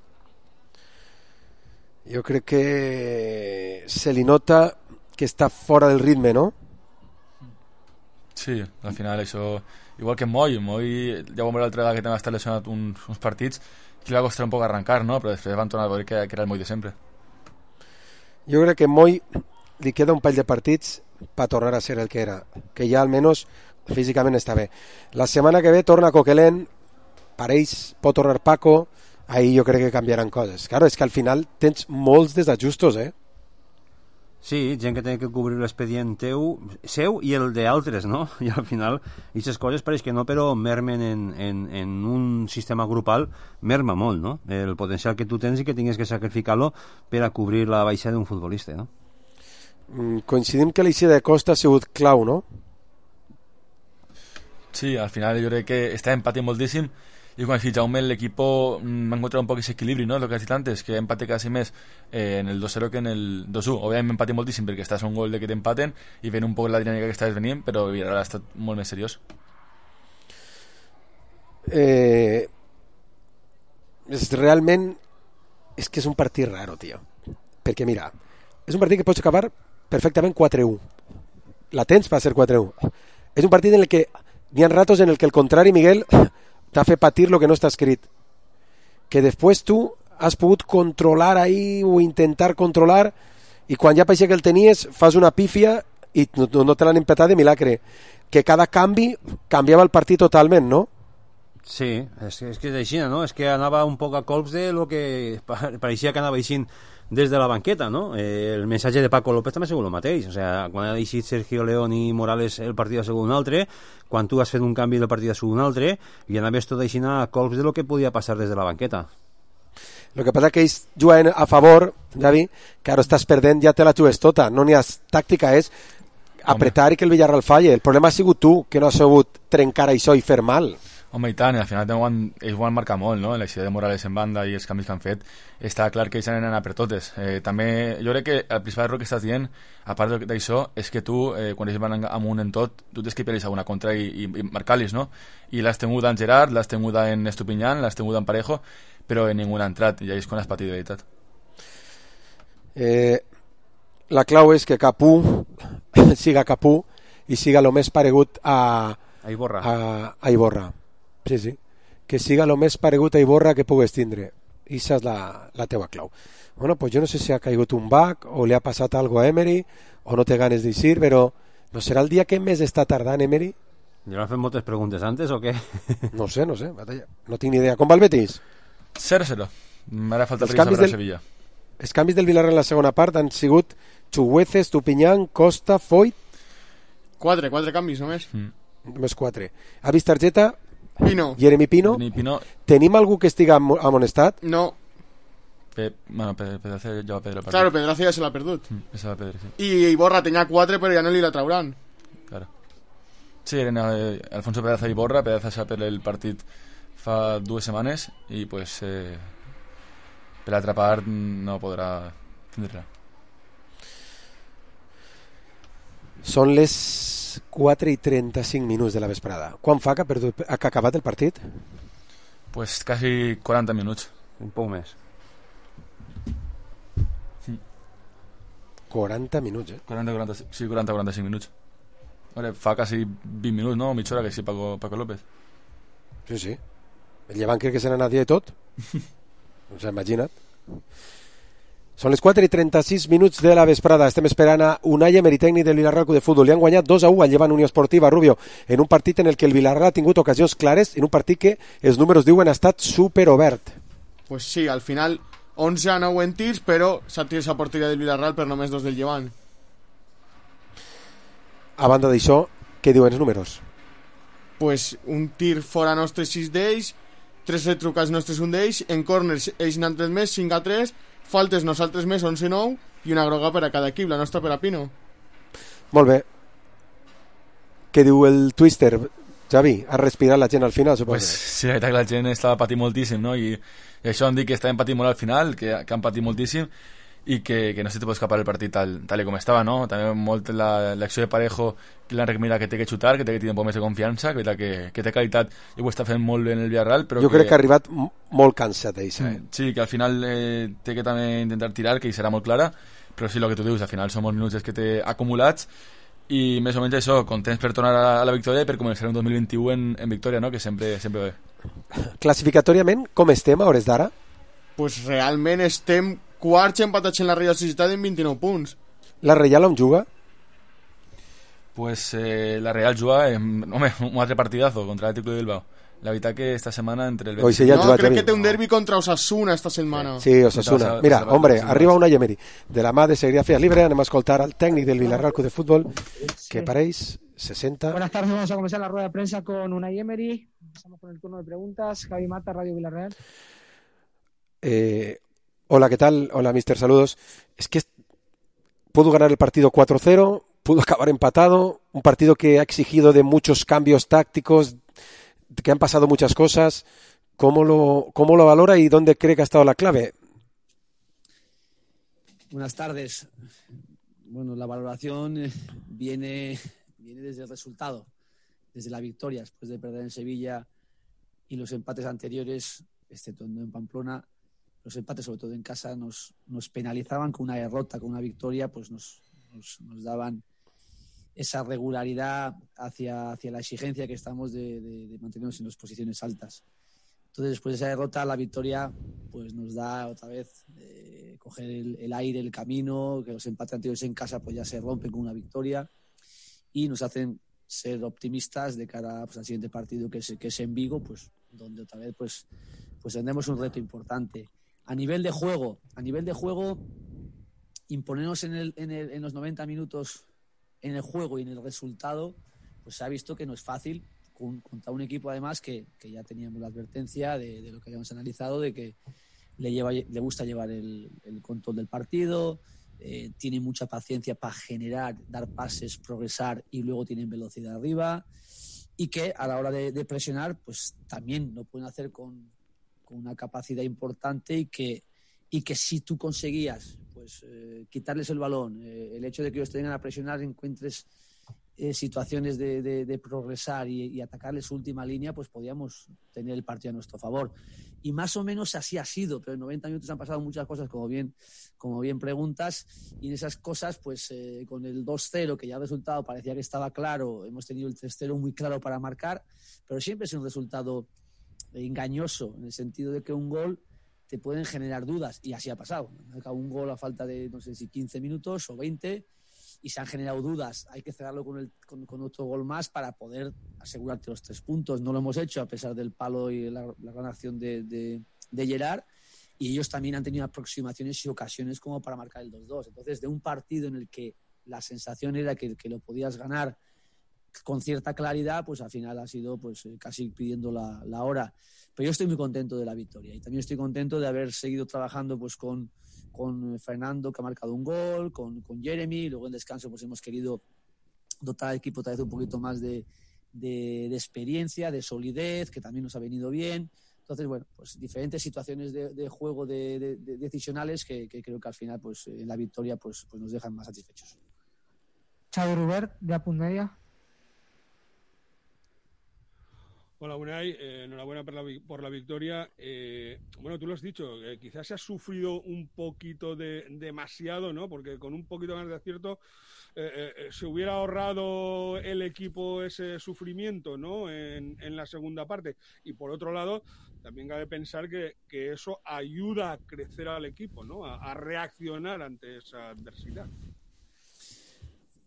Jo crec que se li nota que està fora del ritme, no?
Sí, al final això... Igual que Moy, Moy ja vam veure l'altra vegada que també ha estat lesionat uns, uns partits que li va costar un poc arrencar, no? Però després van tornar a veure que, que era el Moy de sempre.
Jo crec que Moy li queda un parell de partits per tornar a ser el que era, que ja almenys físicament està bé. La setmana que ve torna Coquelin, pareix, pot tornar Paco, ahí jo crec que canviaran coses. Claro, és que al final tens molts desajustos, eh?
Sí, gent que té que cobrir l'expedient teu, seu i el d'altres, no? I al final, aquestes coses pareix que no, però mermen en, en, en un sistema grupal, merma molt, no? El potencial que tu tens i que tingues que sacrificar-lo per a cobrir la baixa d'un futbolista, no?
Mm, coincidim que l'eixida de Costa ha sigut clau, no?
Sí, al final jo crec que està empatint moltíssim y con el Jaume el equipo mmm, ha encontrado un poco ese equilibrio, ¿no? Lo que has dit antes, que empate casi més eh, en el dos zero que en el dos uno. Obviamente empate moltíssim perquè estàs a un gol de que t'empaten i ven un poc la dinàmica que estàs venint, però Villarreal ha estat molt més seriós.
Eh, és realment és que és un partit raro, tio, perquè mira, és un partit que pots acabar perfectament quatre u, la tens per ser quatre u, és un partit en el que hi ha ratos en el que el contrari, Miguel, t'ha fet patir lo que no està escrit, que després tu has pogut controlar ahí o intentar controlar i quan ja pareixia que el tenies fas una pífia i no, no te l'han empatat de milagre, que cada canvi canviava el partit totalment, no?
Sí, és, és que és així, no? És que anava un poc a colps de lo que pareixia que anava així des de la banqueta, no? Eh, el missatge de Paco López també ha sigut el mateix, o sea, quan ha deixat Sergio León i Morales el partit ha sigut un altre, quan tu has fet un canvi del partit ha sigut un altre, i anaves tot així a colps de lo que podia passar des de la banqueta.
Lo que passa que ells juguen a favor, Javi, que ara estàs perdent, ja te la jugues tota, no n'hi ha tàctica, és apretar Home. I que el Villarreal falle. El problema ha sigut tu, que no has sabut trencar això i fer mal.
Home, i tant, al final van, ells van marcar molt, no? L'eixida de Morales en banda i els canvis que han fet, està clar que ells han d'anar per totes. Eh, també, jo crec que el principal error que estàs dient, a part d'això, és que tu, eh, quan ells van amunt en tot, tu tens que pillar alguna contra i, i, i marcar-los, no? I l'has tenuda en Gerard, l'has tenuda en Estupiñán, l'has tenuda en Parejo, però en ningú ha entrat, i és quan has patit de veritat.
Eh, la clau és que Capú siga Capú i siga el més paregut a,
a Iborra.
A, a Iborra. Sí, sí. Que siga el més paregut a Iborra que pugues tindre. I això és la, la teua clau. Bueno, pues jo no sé si ha caigut un bug o li ha passat algo a Emery o no té ganes d'eixir, però no serà el dia que més està tardant Emery?
¿Ya han fet moltes preguntes antes o què?
No sé, no sé. No tinc ni idea. Com va el Betis?
cero cero. M'ara falta per saber del Sevilla.
Els canvis del Villarreal en la segona part han sigut Chuguece, Estupiñán, Costa, Foyt.
Quatre, quatre canvis només.
Mm. Només quatre. Ha vist targeta?
Pino.
Jeremy Pino.
Jeremy Pino.
Tenim algú que estiga amonestat?
No.
Pe, bueno, Pedraza ja va perdre el partit.
Claro, Pedraza ja se l'ha perdut.
Mm, se va perdre, sí.
I Iborra tenia quatre, però ja no li la trauran.
Claro. Sí, eren eh, Alfonso Pedraza i Iborra. Pedraza s'ha perdut el partit fa dues setmanes i pues eh, per l'altra part no podrà tindre-la.
Són les quatre i trenta-cinc minuts de la vesprada. Quan fa que ha, perdut, ha acabat el partit?
Pues quasi quaranta minuts.
Un poc més.
quaranta minuts, eh?
quaranta, quaranta, sí, quaranta a quaranta-cinc minuts. Vale, fa quasi vint minuts, no? Mitja hora que sí, Paco, Paco López.
Sí, sí. El llevant crec que se n'ha anat ja i tot. No s'ha imaginat. Són les quatre i trenta-sis minuts de la vesprada. Estem esperant a Unai Emery, tècnic del Villarreal de Futbol. Li han guanyat dos a u al Llevant Unió Esportiva Rubio, en un partit en el que el Villarreal ha tingut ocasions clares, en un partit que els números diuen ha estat superobert.
Pues sí, al final onze a nou en tirs, però s'ha tirat a porteria del Villarreal per només dos del Llevant.
A banda d'això, què diuen els números?
Pues un tir fora nostre, sis d'ells, tres retrucats nostres, un d'ells, en corners ells n'han tret més, cinc a tres, faltes nosaltres més, onze a nou, i una groga per a cada equip, la nostra per a Pino.
Molt bé. Què diu el Twister, Xavi? Ha respirat la gent al final, suposo?
Pues, sí, la veritat que la gent estava patint moltíssim, no? I, i això han dit que estaven patint molt al final, que, que han patit moltíssim, i que, que no se te pot escapar el partit tal, tal com estava, no? També molt la, l'acció de Parejo, que l'Enric mira que té que xutar, que té que tenir un poc més de confiança, que, que, que té qualitat i ho està fent molt bé en el Villarreal, però
jo
que...
crec que ha arribat m- molt cansat d'eixa, eh?
Sí, que al final eh, té que també intentar tirar, que hi serà molt clara, però sí, el que tu dius, al final són molts minuts que té acumulats i més o menys això, contents per tornar a la victòria i per començar un dos mil vint-i-u en, en victòria, no? Que sempre, sempre bé.
Classificatòriament, com estem a hores d'ara?
Pues realment estem quarts empatats en la Real Societat en vint-i-nou punts.
La Reial on juga?
Pues eh, la Real juga en, home, un altre partidazo contra l'Atlètic de Bilbao. La veritat que esta setmana entre el...
Hoy sí ya
no,
jugat,
crec
Javi.
que té un derbi contra Osasuna esta setmana.
Sí, Osasuna. Mira, hombre, arriba una Emery. De la mà de Serigrafía Libre anem a escoltar al técnic del Villarreal Club de Fútbol, que pareix sesenta.
Buenas tardes, vamos a comenzar la rueda de prensa con Unai Emery. Empezamos con el turno de preguntas. Javi Mata, Radio Villarreal.
Eh, hola, ¿qué tal? Hola, mister, saludos. Es que pudo ganar el partido cuatro cero, pudo acabar empatado, un partido que ha exigido de muchos cambios tácticos, que han pasado muchas cosas. ¿Cómo lo, cómo lo valora y dónde cree que ha estado la clave?
Buenas tardes. Bueno, la valoración viene, viene desde el resultado, desde la victoria, después de perder en Sevilla y los empates anteriores, excepto en Pamplona. Los empates, sobre todo en casa, nos, nos penalizaban con una derrota, con una victoria, pues nos, nos, nos daban esa regularidad hacia, hacia la exigencia que estamos de, de, de mantenernos en las posiciones altas. Entonces, después de esa derrota, la victoria pues nos da otra vez eh, coger el, el aire, el camino, que los empates anteriores en casa pues ya se rompen con una victoria y nos hacen ser optimistas de cara pues, al siguiente partido que es, que es en Vigo, pues donde otra vez pues, pues tendremos un reto importante. A nivel de juego, a nivel de juego, imponernos en, el, en, el, en los noventa minutos en el juego y en el resultado, pues se ha visto que no es fácil con, contra un equipo además que, que ya teníamos la advertencia de, de lo que habíamos analizado, de que le, lleva, le gusta llevar el, el control del partido, eh, tiene mucha paciencia para generar, dar pases, progresar y luego tienen velocidad arriba y que a la hora de, de presionar pues también lo pueden hacer con con una capacidad importante y que, y que si tú conseguías pues eh, quitarles el balón, eh, el hecho de que ellos te vengan a presionar, encuentres eh, situaciones de, de, de progresar y, y atacarles su última línea, pues podíamos tener el partido a nuestro favor. Y más o menos así ha sido, pero en noventa minutos han pasado muchas cosas, como bien, como bien preguntas, y en esas cosas, pues eh, con el dos cero, que ya el resultado parecía que estaba claro, hemos tenido el tres cero muy claro para marcar, pero siempre es un resultado engañoso, en el sentido de que un gol te pueden generar dudas, y así ha pasado. Un gol a falta de, no sé si quince minutos o veinte, y se han generado dudas. Hay que cerrarlo con, el, con, con otro gol más para poder asegurarte los tres puntos. No lo hemos hecho a pesar del palo y la, la gran acción de, de, de Gerard, y ellos también han tenido aproximaciones y ocasiones como para marcar el dos dos. Entonces, de un partido en el que la sensación era que, que lo podías ganar con cierta claridad, pues al final ha sido pues casi pidiendo la, la hora. Pero yo estoy muy contento de la victoria y también estoy contento de haber seguido trabajando pues con, con Fernando, que ha marcado un gol, con, con Jeremy. Luego en descanso pues hemos querido dotar al equipo otra vez un poquito más de, de, de experiencia, de solidez, que también nos ha venido bien. Entonces, bueno, pues diferentes situaciones de, de juego de, de, de decisionales que, que creo que al final pues en la victoria pues, pues nos dejan más satisfechos.
Xavi Rubert, de Apunt Media.
Hola, Unai, eh, enhorabuena por la, por la victoria. Eh, bueno, tú lo has dicho, eh, quizás se ha sufrido un poquito de demasiado, ¿no? Porque con un poquito más de acierto eh, eh, se hubiera ahorrado el equipo ese sufrimiento, ¿no? En, en la segunda parte. Y por otro lado, también cabe pensar que, que eso ayuda a crecer al equipo, ¿no? A, a reaccionar ante esa adversidad.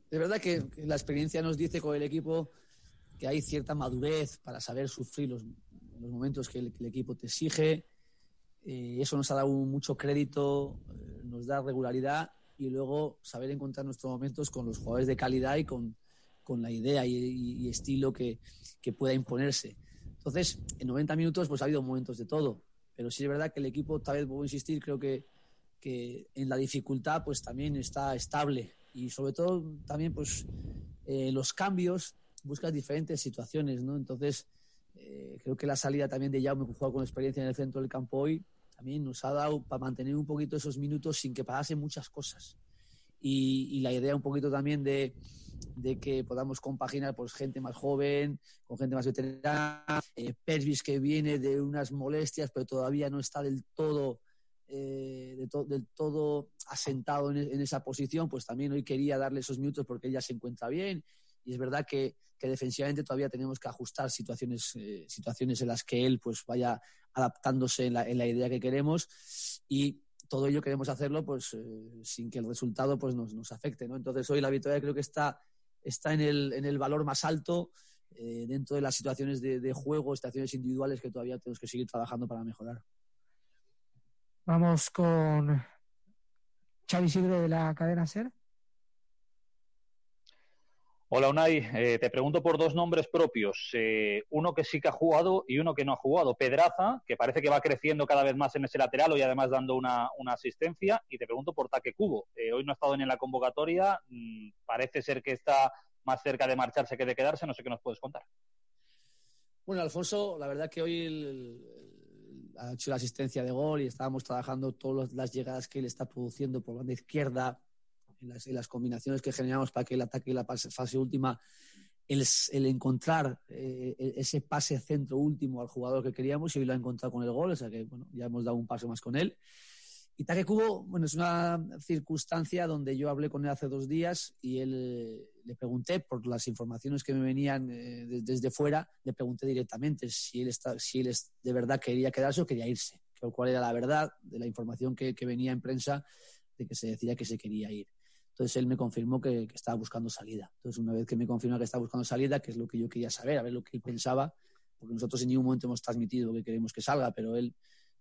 De verdad que la experiencia nos dice con el equipo que hay cierta madurez para saber sufrir los, los momentos que el, que el equipo te exige. Eh, eso nos ha dado mucho crédito, eh, nos da regularidad y luego saber encontrar nuestros momentos con los jugadores de calidad y con, con la idea y, y, y estilo que, que pueda imponerse. Entonces, en noventa minutos pues ha habido momentos de todo, pero sí es verdad que el equipo, tal vez puedo insistir, creo que, que en la dificultad pues también está estable y sobre todo también pues eh, los cambios buscas diferentes situaciones, ¿no? Entonces, eh, creo que la salida también de Jaume, que juega con experiencia en el centro del campo hoy, también nos ha dado para mantener un poquito esos minutos sin que pasasen muchas cosas. Y, y la idea un poquito también de, de que podamos compaginar pues gente más joven con gente más veterana, eh, Pervis que viene de unas molestias pero todavía no está del todo eh, de to, del todo asentado en, en esa posición, pues también hoy quería darle esos minutos porque ella se encuentra bien. Y es verdad que, que defensivamente todavía tenemos que ajustar situaciones, eh, situaciones en las que él pues vaya adaptándose en la, en la idea que queremos, y todo ello queremos hacerlo pues eh, sin que el resultado pues nos, nos afecte, ¿no? Entonces hoy la victoria creo que está, está en, el, en el valor más alto eh, dentro de las situaciones de, de juego, situaciones individuales que todavía tenemos que seguir trabajando para mejorar.
Vamos con Xavi Isidro de la cadena SER.
Hola Unai, eh, te pregunto por dos nombres propios, eh, uno que sí que ha jugado y uno que no ha jugado. Pedraza, que parece que va creciendo cada vez más en ese lateral y además dando una, una asistencia, y te pregunto por Take Kubo. Eh, hoy no ha estado ni en la convocatoria, mmm, parece ser que está más cerca de marcharse que de quedarse, no sé qué nos puedes contar.
Bueno, Alfonso, la verdad que hoy el, el, ha hecho la asistencia de gol y estábamos trabajando todas las llegadas que él está produciendo por banda izquierda, En las, en las combinaciones que generamos para que el ataque y la fase, fase última, el, el encontrar eh, ese pase centro último al jugador que queríamos, y hoy lo ha encontrado con el gol, o sea que bueno, ya hemos dado un paso más con él. Y Take Kubo, bueno, es una circunstancia donde yo hablé con él hace dos días y él eh, le pregunté por las informaciones que me venían eh, de, desde fuera, le pregunté directamente si él, está, si él es, de verdad quería quedarse o quería irse, cuál era la verdad de la información que, que venía en prensa de que se decía que se quería ir. Entonces él me confirmó que, que estaba buscando salida. Entonces una vez que me confirmó que estaba buscando salida, que es lo que yo quería saber, a ver lo que él pensaba, porque nosotros en ningún momento hemos transmitido que queremos que salga, pero él,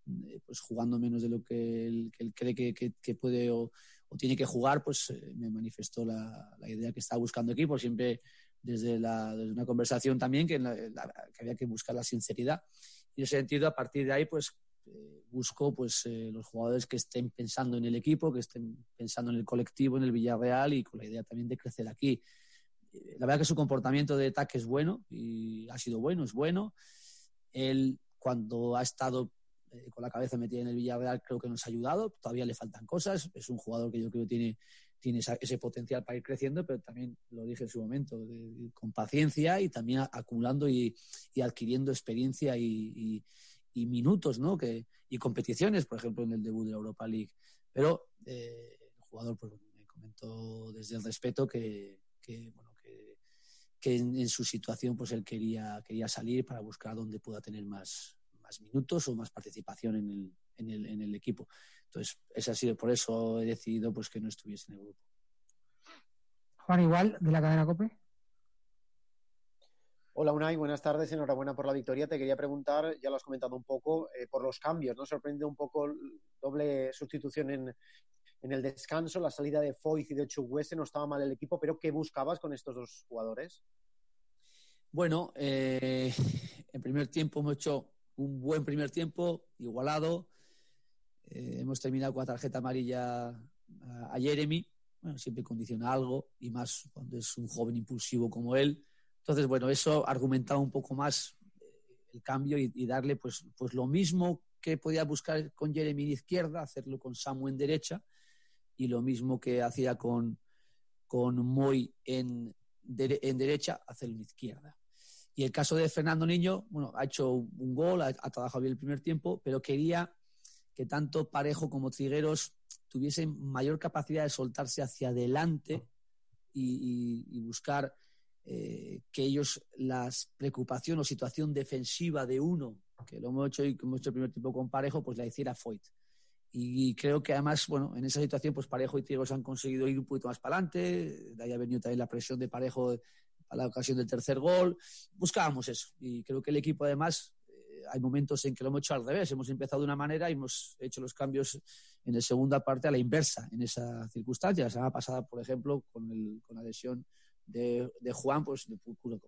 eh, pues jugando menos de lo que él, que él cree que, que, que puede o, o tiene que jugar, pues eh, me manifestó la, la idea que estaba buscando equipo, siempre desde, la, desde una conversación también que, la, la, que había que buscar la sinceridad. Y en ese sentido, a partir de ahí, pues Eh, busco pues eh, los jugadores que estén pensando en el equipo, que estén pensando en el colectivo, en el Villarreal, y con la idea también de crecer aquí. Eh, la verdad que su comportamiento de ataque es bueno y ha sido bueno, es bueno. Él, cuando ha estado eh, con la cabeza metida en el Villarreal, creo que nos ha ayudado. Todavía le faltan cosas. Es un jugador que yo creo que tiene, tiene esa, ese potencial para ir creciendo, pero también lo dije en su momento, de, de, con paciencia y también acumulando y, y adquiriendo experiencia y, y y minutos, ¿no? Que, y competiciones, por ejemplo, en el debut de la Europa League. Pero eh, el jugador pues, me comentó desde el respeto que, que, bueno, que, que en, en su situación pues él quería, quería salir para buscar dónde pueda tener más, más minutos o más participación en el, en el, en el equipo. Entonces, es así, por eso he decidido pues, que no estuviese en el grupo.
Juan Igual, de la cadena COPE.
Hola Unai, buenas tardes, enhorabuena por la victoria. Te quería preguntar, ya lo has comentado un poco, eh, por los cambios, ¿no? Sorprende un poco doble sustitución en, en el descanso, la salida de Foyth y de Chukwueze, no estaba mal el equipo, pero ¿qué buscabas con estos dos jugadores?
Bueno, eh, en primer tiempo hemos hecho un buen primer tiempo, igualado. Eh, hemos terminado con la tarjeta amarilla a, a Jeremy. Bueno, siempre condiciona algo, y más cuando es un joven impulsivo como él. Entonces, bueno, eso argumentaba un poco más el cambio y, y darle pues, pues lo mismo que podía buscar con Jeremy en izquierda, hacerlo con Samu en derecha, y lo mismo que hacía con, con Moy en, de, en derecha, hacerlo en izquierda. Y el caso de Fernando Niño, bueno, ha hecho un gol, ha, ha trabajado bien el primer tiempo, pero quería que tanto Parejo como Trigueros tuviesen mayor capacidad de soltarse hacia adelante y, y, y buscar eh, que ellos, la preocupación o situación defensiva de uno, que lo hemos hecho y que hemos hecho el primer tiempo con Parejo, pues la hiciera Foyth. Y creo que además, bueno, en esa situación, pues Parejo y Trigueros han conseguido ir un poquito más para adelante. De ahí ha venido también la presión de Parejo a la ocasión del tercer gol. Buscábamos eso. Y creo que el equipo, además, eh, hay momentos en que lo hemos hecho al revés. Hemos empezado de una manera y hemos hecho los cambios en la segunda parte a la inversa, en esa circunstancia. La semana pasada, por ejemplo, con, el, con la lesión de, de Juan, pues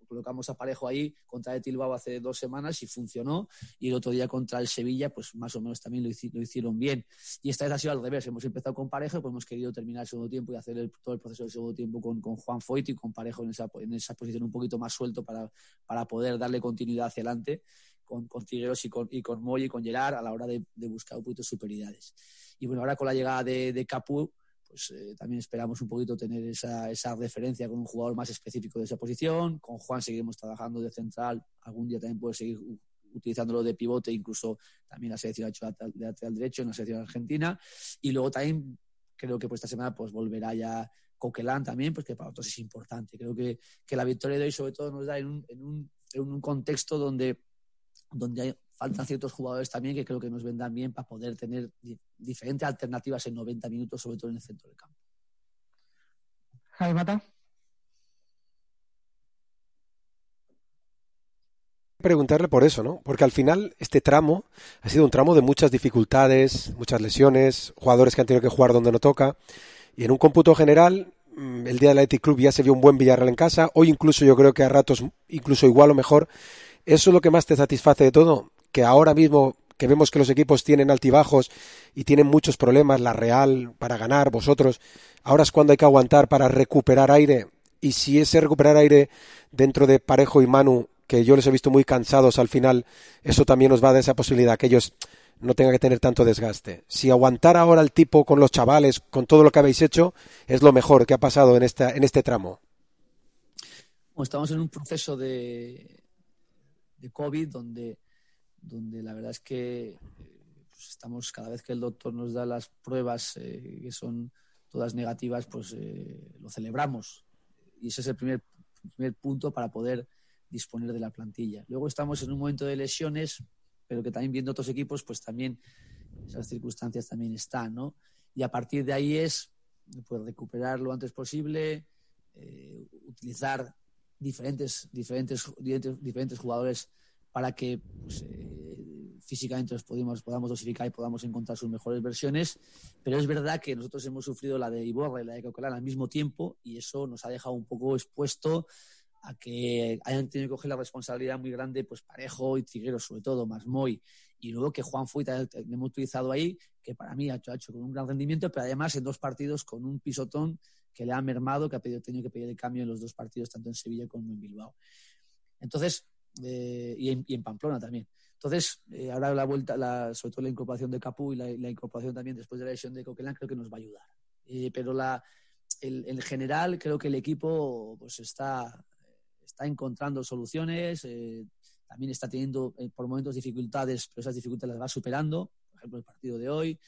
colocamos a Parejo ahí contra el Bilbao hace dos semanas y funcionó, y el otro día contra el Sevilla pues más o menos también lo, hici- lo hicieron bien, y esta vez ha sido al revés. Hemos empezado con Parejo, pues hemos querido terminar el segundo tiempo y hacer el, todo el proceso del segundo tiempo con, con Juan Foyth y con Parejo en esa, en esa posición un poquito más suelto para, para poder darle continuidad hacia adelante, con, con Trigueros y con, y con Moy y con Gerard a la hora de, de buscar un poquito de superioridades. Y bueno, ahora con la llegada de, de Capu, pues eh, también esperamos un poquito tener esa, esa referencia con un jugador más específico de esa posición. Con Juan seguiremos trabajando de central, algún día también puede seguir utilizándolo de pivote, incluso también la selección ha hecho de lateral derecho en la selección argentina. Y luego también creo que por esta semana pues volverá ya Coquelin también, porque para nosotros es importante. Creo que, que la victoria de hoy sobre todo nos da en un, en un, en un contexto donde, donde hay, faltan ciertos jugadores también que creo que nos vendrán bien para poder tener di- diferentes alternativas en noventa minutos, sobre todo en el centro del campo.
Javi Mata.
Preguntarle por eso, ¿no? Porque al final este tramo ha sido un tramo de muchas dificultades, muchas lesiones, jugadores que han tenido que jugar donde no toca, y en un cómputo general el día del Athletic Club ya se vio un buen Villarreal en casa, hoy incluso yo creo que a ratos incluso igual o mejor. ¿Eso es lo que más te satisface de todo? Que ahora mismo que vemos que los equipos tienen altibajos y tienen muchos problemas, la Real para ganar, vosotros, ahora es cuando hay que aguantar para recuperar aire, y si ese recuperar aire dentro de Parejo y Manu, que yo les he visto muy cansados al final, eso también nos va a dar esa posibilidad, que ellos no tengan que tener tanto desgaste. Si aguantar ahora el tipo con los chavales, con todo lo que habéis hecho, es lo mejor que ha pasado en, esta, en este tramo.
Bueno, estamos en un proceso de, de COVID donde, donde la verdad es que pues estamos, cada vez que el doctor nos da las pruebas eh, que son todas negativas, pues eh, lo celebramos. Y ese es el primer, primer punto para poder disponer de la plantilla. Luego estamos en un momento de lesiones, pero que también viendo otros equipos, pues también esas circunstancias también están, ¿no? Y a partir de ahí es pues recuperar lo antes posible, eh, utilizar diferentes, diferentes, diferentes jugadores para que pues, eh, físicamente los podamos, podamos dosificar y podamos encontrar sus mejores versiones. Pero es verdad que nosotros hemos sufrido la de Iborra y la de Coquelin al mismo tiempo, y eso nos ha dejado un poco expuesto a que hayan tenido que coger la responsabilidad muy grande, pues Parejo y Trigueros, sobre todo, más Moy, y luego que Juan Fuita le hemos utilizado ahí, que para mí ha hecho, ha hecho con un gran rendimiento, pero además en dos partidos con un pisotón que le ha mermado, que ha pedido, tenido que pedir el cambio en los dos partidos, tanto en Sevilla como en Bilbao. Entonces, eh, y, en, y en Pamplona también. Entonces, eh, ahora la vuelta, la, sobre todo la incorporación de Capu y la, la incorporación también después de la lesión de Coquelin, creo que nos va a ayudar. Eh, pero la, el, en general, creo que el equipo pues está... está encontrando soluciones, eh, también está teniendo eh, por momentos dificultades, pero esas dificultades las va superando. Por ejemplo, el partido de hoy,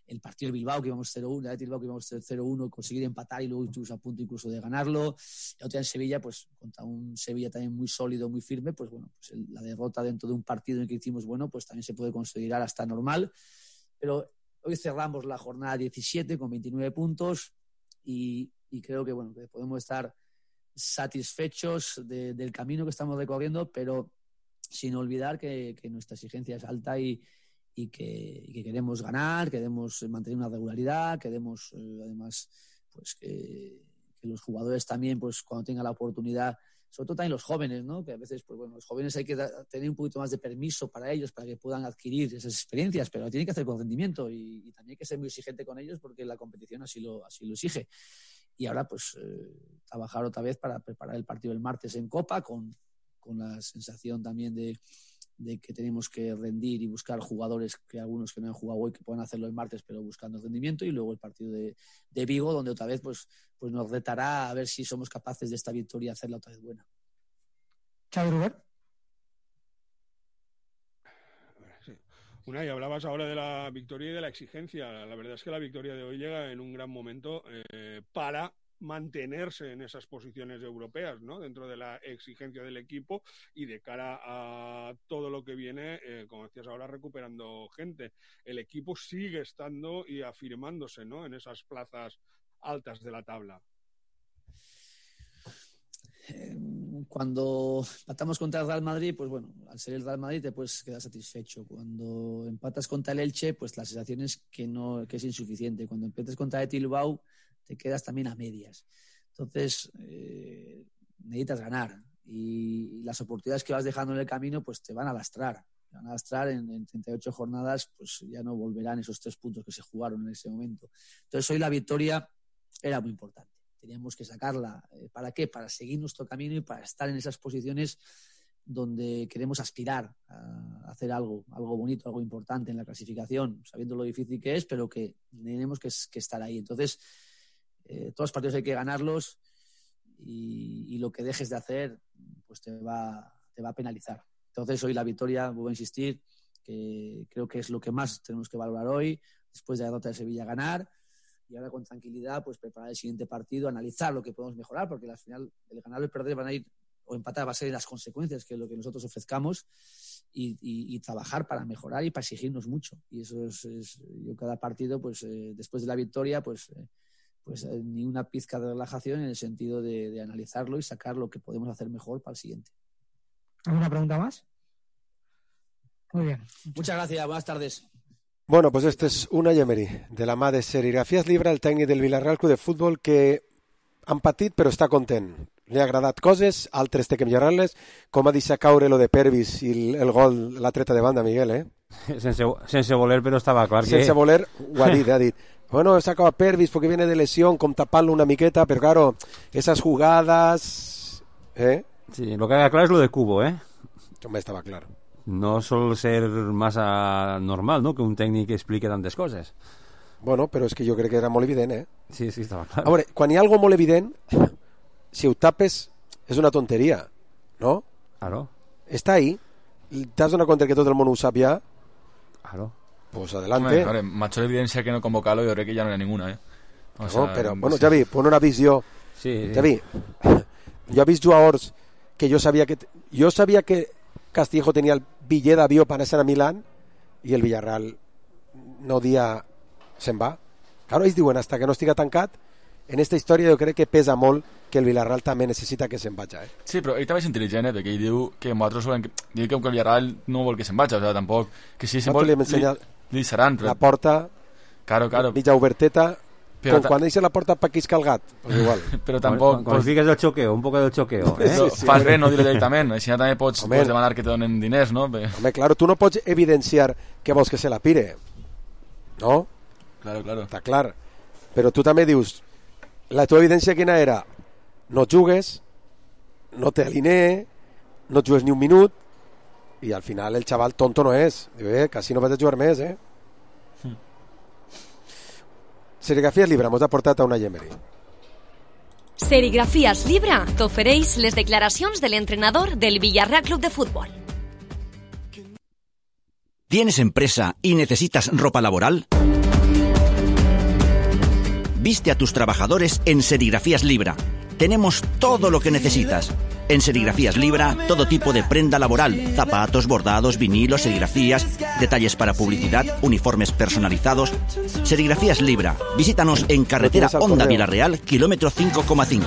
el partido de Bilbao, que íbamos cero uno, el Bilbao que íbamos cero uno, conseguir empatar y luego estuvimos a punto incluso de ganarlo. Y otra en Sevilla, pues contra un Sevilla también muy sólido, muy firme, pues bueno, pues el, la derrota dentro de un partido en el que hicimos, bueno, pues también se puede considerar hasta normal. Pero hoy cerramos la jornada diecisiete con veintinueve puntos y, y creo que, bueno, que podemos estar satisfechos de, del camino que estamos recorriendo, pero sin olvidar que, que nuestra exigencia es alta y, y, que, y que queremos ganar, queremos mantener una regularidad, queremos eh, además pues que, que los jugadores también pues cuando tengan la oportunidad, sobre todo también los jóvenes, ¿no? Que a veces pues bueno, los jóvenes hay que da, tener un poquito más de permiso para ellos, para que puedan adquirir esas experiencias, pero lo tienen que hacer con rendimiento y, y también hay que ser muy exigente con ellos porque la competición así lo, así lo exige. Y ahora pues eh, trabajar otra vez para preparar el partido del martes en Copa con, con la sensación también de, de que tenemos que rendir y buscar jugadores, que algunos que no han jugado hoy que puedan hacerlo el martes pero buscando rendimiento, y luego el partido de, de Vigo donde otra vez pues, pues nos retará a ver si somos capaces de esta victoria hacerla otra vez buena.
Xavi Rubert.
Unai, hablabas ahora de la victoria y de la exigencia. La verdad es que la victoria de hoy llega en un gran momento eh, para mantenerse en esas posiciones europeas, ¿no? Dentro de la exigencia del equipo y de cara a todo lo que viene, eh, como decías ahora, recuperando gente. El equipo sigue estando y afirmándose, ¿no? En esas plazas altas de la tabla.
Cuando empatamos contra el Real Madrid, pues bueno, al ser el Real Madrid te puedes quedar satisfecho. Cuando empatas contra el Elche, pues la sensación es que, no, que es insuficiente. Cuando empatas contra el Bilbao, te quedas también a medias. Entonces, eh, necesitas ganar. Y, y las oportunidades que vas dejando en el camino, pues te van a lastrar. Te van a lastrar en, en treinta y ocho jornadas, pues ya no volverán esos tres puntos que se jugaron en ese momento. Entonces, hoy la victoria era muy importante. Teníamos que sacarla. ¿Para qué? Para seguir nuestro camino y para estar en esas posiciones donde queremos aspirar a hacer algo, algo bonito, algo importante en la clasificación, sabiendo lo difícil que es, pero que tenemos que, que estar ahí. Entonces, eh, todos los partidos hay que ganarlos y, y lo que dejes de hacer pues te va, te va a penalizar. Entonces, hoy la victoria, vuelvo a insistir, que creo que es lo que más tenemos que valorar hoy, después de la derrota de Sevilla, ganar, y ahora con tranquilidad pues preparar el siguiente partido, analizar lo que podemos mejorar, porque al final el ganar o el perder van a ir, o empatar va a ser las consecuencias que es lo que nosotros ofrezcamos, y, y, y trabajar para mejorar y para exigirnos mucho. Y eso es, es yo cada partido, pues eh, después de la victoria, pues, eh, pues eh, ni una pizca de relajación en el sentido de, de analizarlo y sacar lo que podemos hacer mejor para el siguiente.
¿Alguna pregunta más? Muy bien.
Muchas gracias, buenas tardes.
Bueno, pues este és Unai Emery, de la mà de Serigrafías Libra, el tècnic del Villarreal Club de Futbol, que han patit però està content. Li ha agradat coses, altres té que millorar-les, com ha deixat caure lo de Pervis i el, el gol, la treta de banda, Miguel, eh?
Sense, sense voler, però estava clar que...
Sense voler, ho ha dit, ha dit. Bueno, se acaba Pervis porque viene de lesión, com tapant-lo una miqueta, però claro, esas jugadas... ¿Eh?
Sí, lo que queda clar és lo de Cubo, eh?
Home, estava clar.
No sol ser massa normal, no?, que un tècnic expliqui tantes coses.
Bueno, però és que jo crec que era molt evident, eh?
Sí, sí, estava clar.
A veure, quan hi ha algo molt evident, si ho tapes, és una tonteria, no?
Claro.
Està ahí, t'has donat compte que tot el món ho sap ja.
Claro.
Pues adelante.
Hombre, mayor evidencia que no convocarlo, yo creo que ya no era ninguna, ¿eh? O
no,
sea,
però, bueno, Javi, pon una visió.
Sí, sí.
Javi, jo he vist jugadors que jo sabia que... Jo sabia que Castillejo tenia el bitllet d'avió per anar a Milán i el Villarreal no dia se'n va. Claro, ells diuen, hasta que no estiga tancat, en esta història jo crec que pesa molt que el Villarreal també necessita que se'n vagi, eh?
Sí, però ell també és intel·ligent, eh? Perquè ell diu que nosaltres volem que... Diu que el Villarreal no vol que se'n vagi, o sigui, tampoc... Que si se'n vol, li, li deixaran, però...
La porta,
claro, claro.
mitja oberteta,
però
com quan deixa la porta per quiscar el gat, pues igual.
Però tampoc...
Quan pues... fiques el xoqueo, un poc del xoqueo, eh?
Sí, sí, fas bé no dir-ho directament, així també pots, pots demanar que te donen diners, no?
Home, claro, tu no pots evidenciar que vols que se la pire, no?
Claro, claro.
Està clar. Però tu també dius, la teva evidència quina era? No jugues, no te alinee, no jugues ni un minut, i al final el xaval tonto no és. Diu, eh, quasi no vaig a jugar més, eh? Hmm. Serigrafías Libra mos ha portat a Unai Emery.
Serigrafías Libra t'ofereix les declaracions de l'entrenador del Villarreal Club de Fútbol.
¿Tienes empresa y necesitas ropa laboral? Viste a tus trabajadores en Serigrafías Libra. Tenemos todo lo que necesitas. En Serigrafías Libra, todo tipo de prenda laboral, zapatos, bordados, vinilos, serigrafías, detalles para publicidad, uniformes personalizados. Serigrafías Libra. Visítanos en carretera Honda Villarreal, kilómetro cinco coma cinco.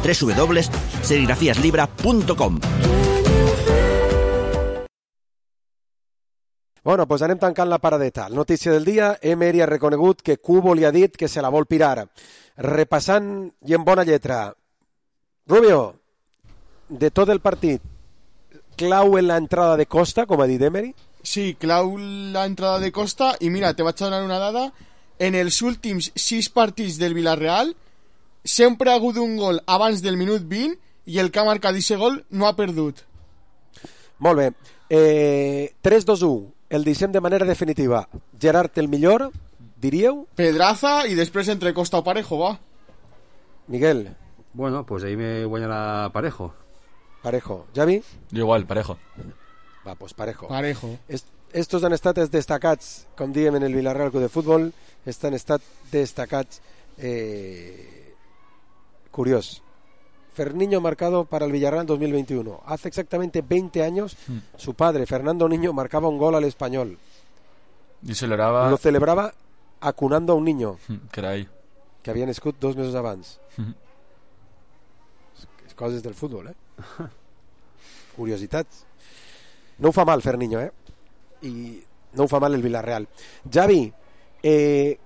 doble u doble u doble u punto serigrafías libra punto com.
Bueno, doncs anem tancant la paradeta. Notícia del dia, Emery ha reconegut que Cubo li ha dit que se la vol pirar. Repassant i en bona lletra. Rubio, de tot el partit, clau en la entrada de Costa, com ha dit Emery?
Sí, clau la entrada de Costa, i mira, te vaig a donar una dada. En els últims sis partits del Villarreal sempre ha hagut un gol abans del minut vint i el que ha marcat aquest gol no ha perdut.
Molt bé. Eh, tres dos u. El deixem de manera definitiva. Gerard, el millor, diríeu?
Pedraza i després entre Costa o Parejo, va.
Miguel.
Bueno, pues ahí me guanyarà Parejo.
Parejo. Javi?
Jo igual, Parejo.
Va, pues Parejo.
Parejo.
Est estos han estat els destacats, com diem en el Villarreal Club de Futbol, estan estat destacats. Eh... Curiós. Ferniño marcado para el Villarreal en dos mil veintiuno. Hace exactamente veinte años, mm. su padre, Fernando Niño, marcaba un gol al Español.
Y celebraba...
Lo celebraba acunando a un niño.
Carai.
Que havia nascut dos mesos abans.
Mm.
Coses del futbol, eh? Curiositats. No ho fa mal, Ferniño, eh? I no ho fa mal el Villarreal. Javi, eh...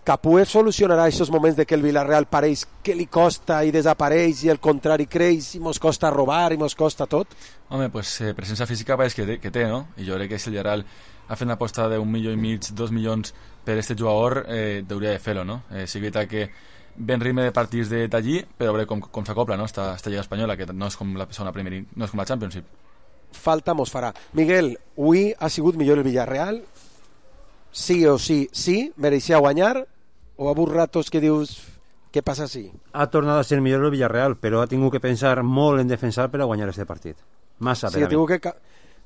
Capué solucionarà aquests moments de que el Villarreal pareix que li costa i desapareix i el contrari creix i mos costa robar i mos costa tot?
Home, pues eh, presència física pareix que té, que té, no? I jo crec que si el Villarreal ha fet una aposta d'un milió i mig, dos milions per este jugador, eh, hauria de fer-lo, no? Eh, sí que, que ben ritme de partits de d'allí, però a veure com, com s'acopla, no? Esta, esta Lliga Espanyola, que no és com la segona Premier, no és com la Championship.
Falta mos farà. Miguel, avui ha sigut millor el Villarreal? Sí o sí, sí? Mereixia guanyar? O ha hagut ratos que dius, què passa si?
Ha tornat a ser millor el Villarreal, però ha tingut que pensar molt en defensar per a guanyar aquest partit. Massa,
sí,
per
ha tingut que,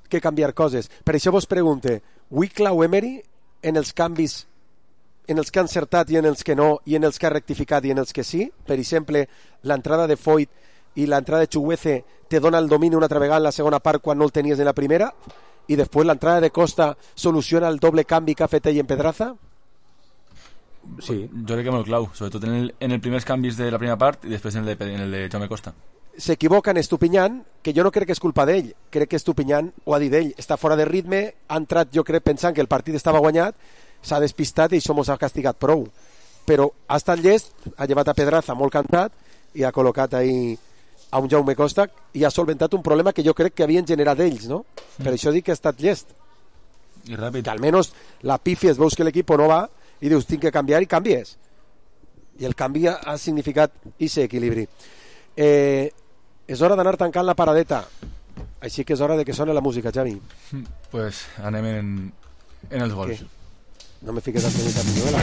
que canviar coses. Per això vos pregunte, avui clau Emery en els canvis en els que ha encertat i en els que no, i en els que ha rectificat i en els que sí? Per exemple, l'entrada de Foyt i l'entrada de Chukwueze te dona el domini una altra vegada en la segona part quan no el tenies en la primera, i després l'entrada de Costa soluciona el doble canvi que ha fet ell en Pedraza?
Sí. Jo crec que molt clau, sobretot en el, en el primers canvis de la primera part i després en el de, en el de Jaume Costa.
S'equivoca en Estupiñán, que jo no crec que és culpa d'ell, crec que Estupiñán ho ha dit ell, està fora de ritme, ha entrat jo crec pensant que el partit estava guanyat, s'ha despistat i això mos ha castigat prou, però ha estat llest, ha llevat a Pedraza molt cantat i ha col·locat ahí a un Jaume Costa i ha solventat un problema que jo crec que havien generat ells, no? Mm. Per això dic que ha estat llest
i ràpid,
que almenys la pifies, veus que l'equip no va i dius tinc que canviar i canvies, i el canvi ha significat ese equilibri. Eh, és hora d'anar tancant la paradeta, així que és hora de que soni la música, Xavi.
Pues anem en, en els gols. Què?
No me fiques al Peñita Piñuela.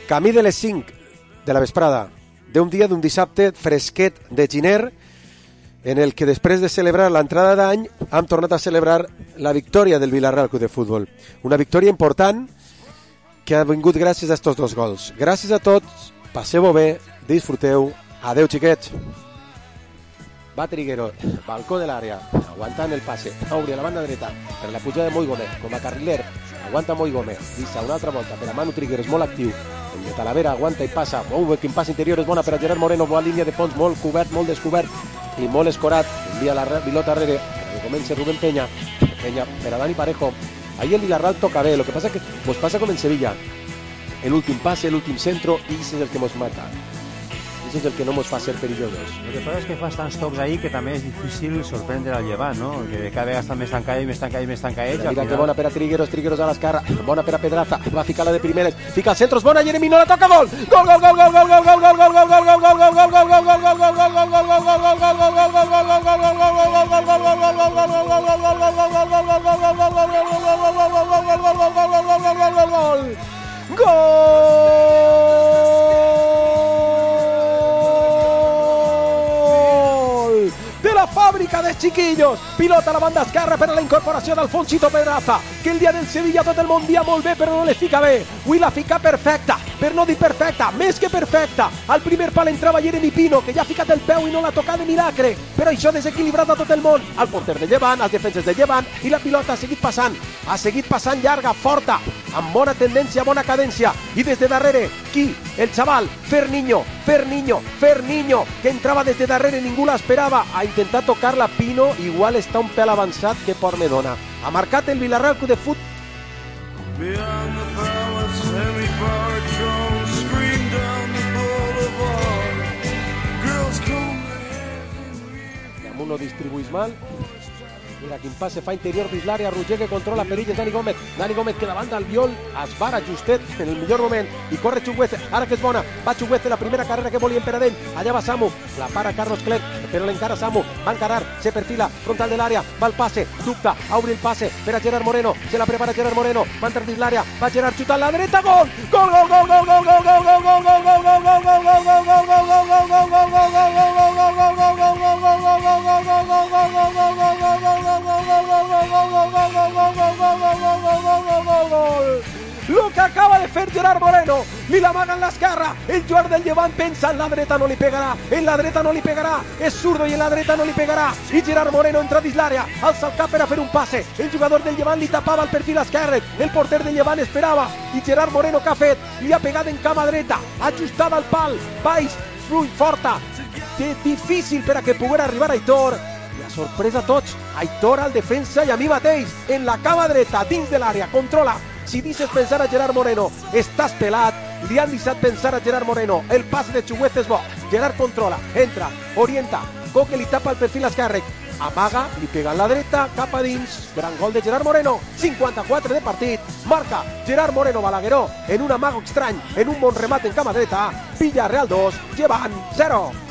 Camí de les cinc de la vesprada d'un dia d'un dissabte fresquet de Giner, en el que després de celebrar l'entrada d'any hem tornat a celebrar la victòria del Villarreal Club de Futbol. Una victòria important que ha vingut gràcies a estos dos gols. Gràcies a tots, passeu-ho bé, disfruteu, adeu xiquets. Va Triguero, balcó de l'àrea, aguantant el passe, Auri a la banda dreta, per la pujada de Moi Gómez, com a carriler, aguanta Moi Gómez, vista una altra volta per a Manu Triguero, és molt actiu, el de Talavera aguanta i passa, molt bé, quin pas interior és bona per a Gerard Moreno, bona línia de fons, molt cobert, molt descobert, i molt escorat, envia la pilota darrere, que comença Rubén Peña, Peña per a Dani Parejo. Ahí el Villarreal toca bé, lo que pasa es que pues pasa como en Sevilla, el últim pase, el últim centro, y ese es el que nos mata, ese es el que no nos fa ser perillosos.
Lo que pasa es que fas tants tocs ahí que també és difícil sorprendre al Llevant, no? Que cada vegada està més tancada i més tancada i més tancada ells.
Mira que bona per a Trigueros, Trigueros a l'esquerra, bona per a Pedraza, va a ficar la de primeres, fica el centro, és bona, Jeremy no la toca, gol! Gol, gol, gol, gol, gol, gol, gol, gol, gol, gol, gol, gol, gol, gol, gol, gol, gol, gol, de la fàbrica de chiquillos, pilota a la banda esquerra per a la incorporació d'Alfonsito Pedraza, que el dia del Sevilla tot el món dia molt bé però no le fica bé, avui la fica perfecta, per no dir perfecta, més que perfecta. Al primer pal entrava Jeremy Pino, que ja ha ficat el peu i no l'ha tocat de milagre, però això ha desequilibrat a tot el món, al porter de Llevant, als defenses de Llevant, i la pilota ha seguit passant, ha seguit passant llarga, forta, amb bona tendència, bona cadència, i des de darrere, qui? El xaval, Ferniño, Ferniño, Ferniño, que entrava des de darrere, ningú l'esperava, ha intentat tocar-la Pino, igual està un pèl avançat que por me dona. Ha marcat el Villarreal Club de Futbol. Damunt lo distribuís mal. Mira quin passe fa interior dins l'àrea, Roger que controla perilles, Dani Gómez, Dani Gómez que davant d'Albiol es vara justet en el millor moment i corre Chukwueze, ara que és bona, va Chukwueze, la primera carrera que volien per a ell, allà va Samu, la para Carlos Clerc, però l'encara Samu, va encarar, se perfila, frontal de l'àrea, va el passe, dubta, obri el passe per a Gerard Moreno, se la prepara Gerard Moreno, va entrar dins l'àrea, va Gerard xutant la dreta, gol! Gol, gol, gol, gol, gol, gol, gol, gol, gol, gol, gol, gol, gol, gol, gol, gol, gol, gol, lo que acaba de fer Gerard Moreno, li l'amaga en l'esquerra, el jugador del Llevant pensa en la dreta no li pegarà, en la dreta no li pegarà, és zurdo i en la dreta no li pegarà, i Gerard Moreno entra dins l'àrea, alça el cap per a fer un passe, el jugador del Llevant li tapava el perfil esquerre, el porter del Llevant esperava, i Gerard Moreno que ha fet? Li ha pegat en cama dreta, ajustada al pal, baix, fluid, forta, difícil per a que poguera arribar Aitor, i a sorpresa tots, Aitor al defensa i a mi mateix, en la cama dreta, dins de l'àrea, controla. Si dices pensar a Gerard Moreno, estàs pelat, li han deixat pensar a Gerard Moreno, el passe de Chukwueze és bo.
Gerard controla, entra, orienta, Coque li tapa el perfil esquerre, amaga, li pega en la dreta, cap a dins, gran gol de Gerard Moreno, cinquanta-quatre de partit, marca Gerard Moreno Balagueró en un amago estrany, en un bon remat en cama dreta, Villarreal dos, llevant zero.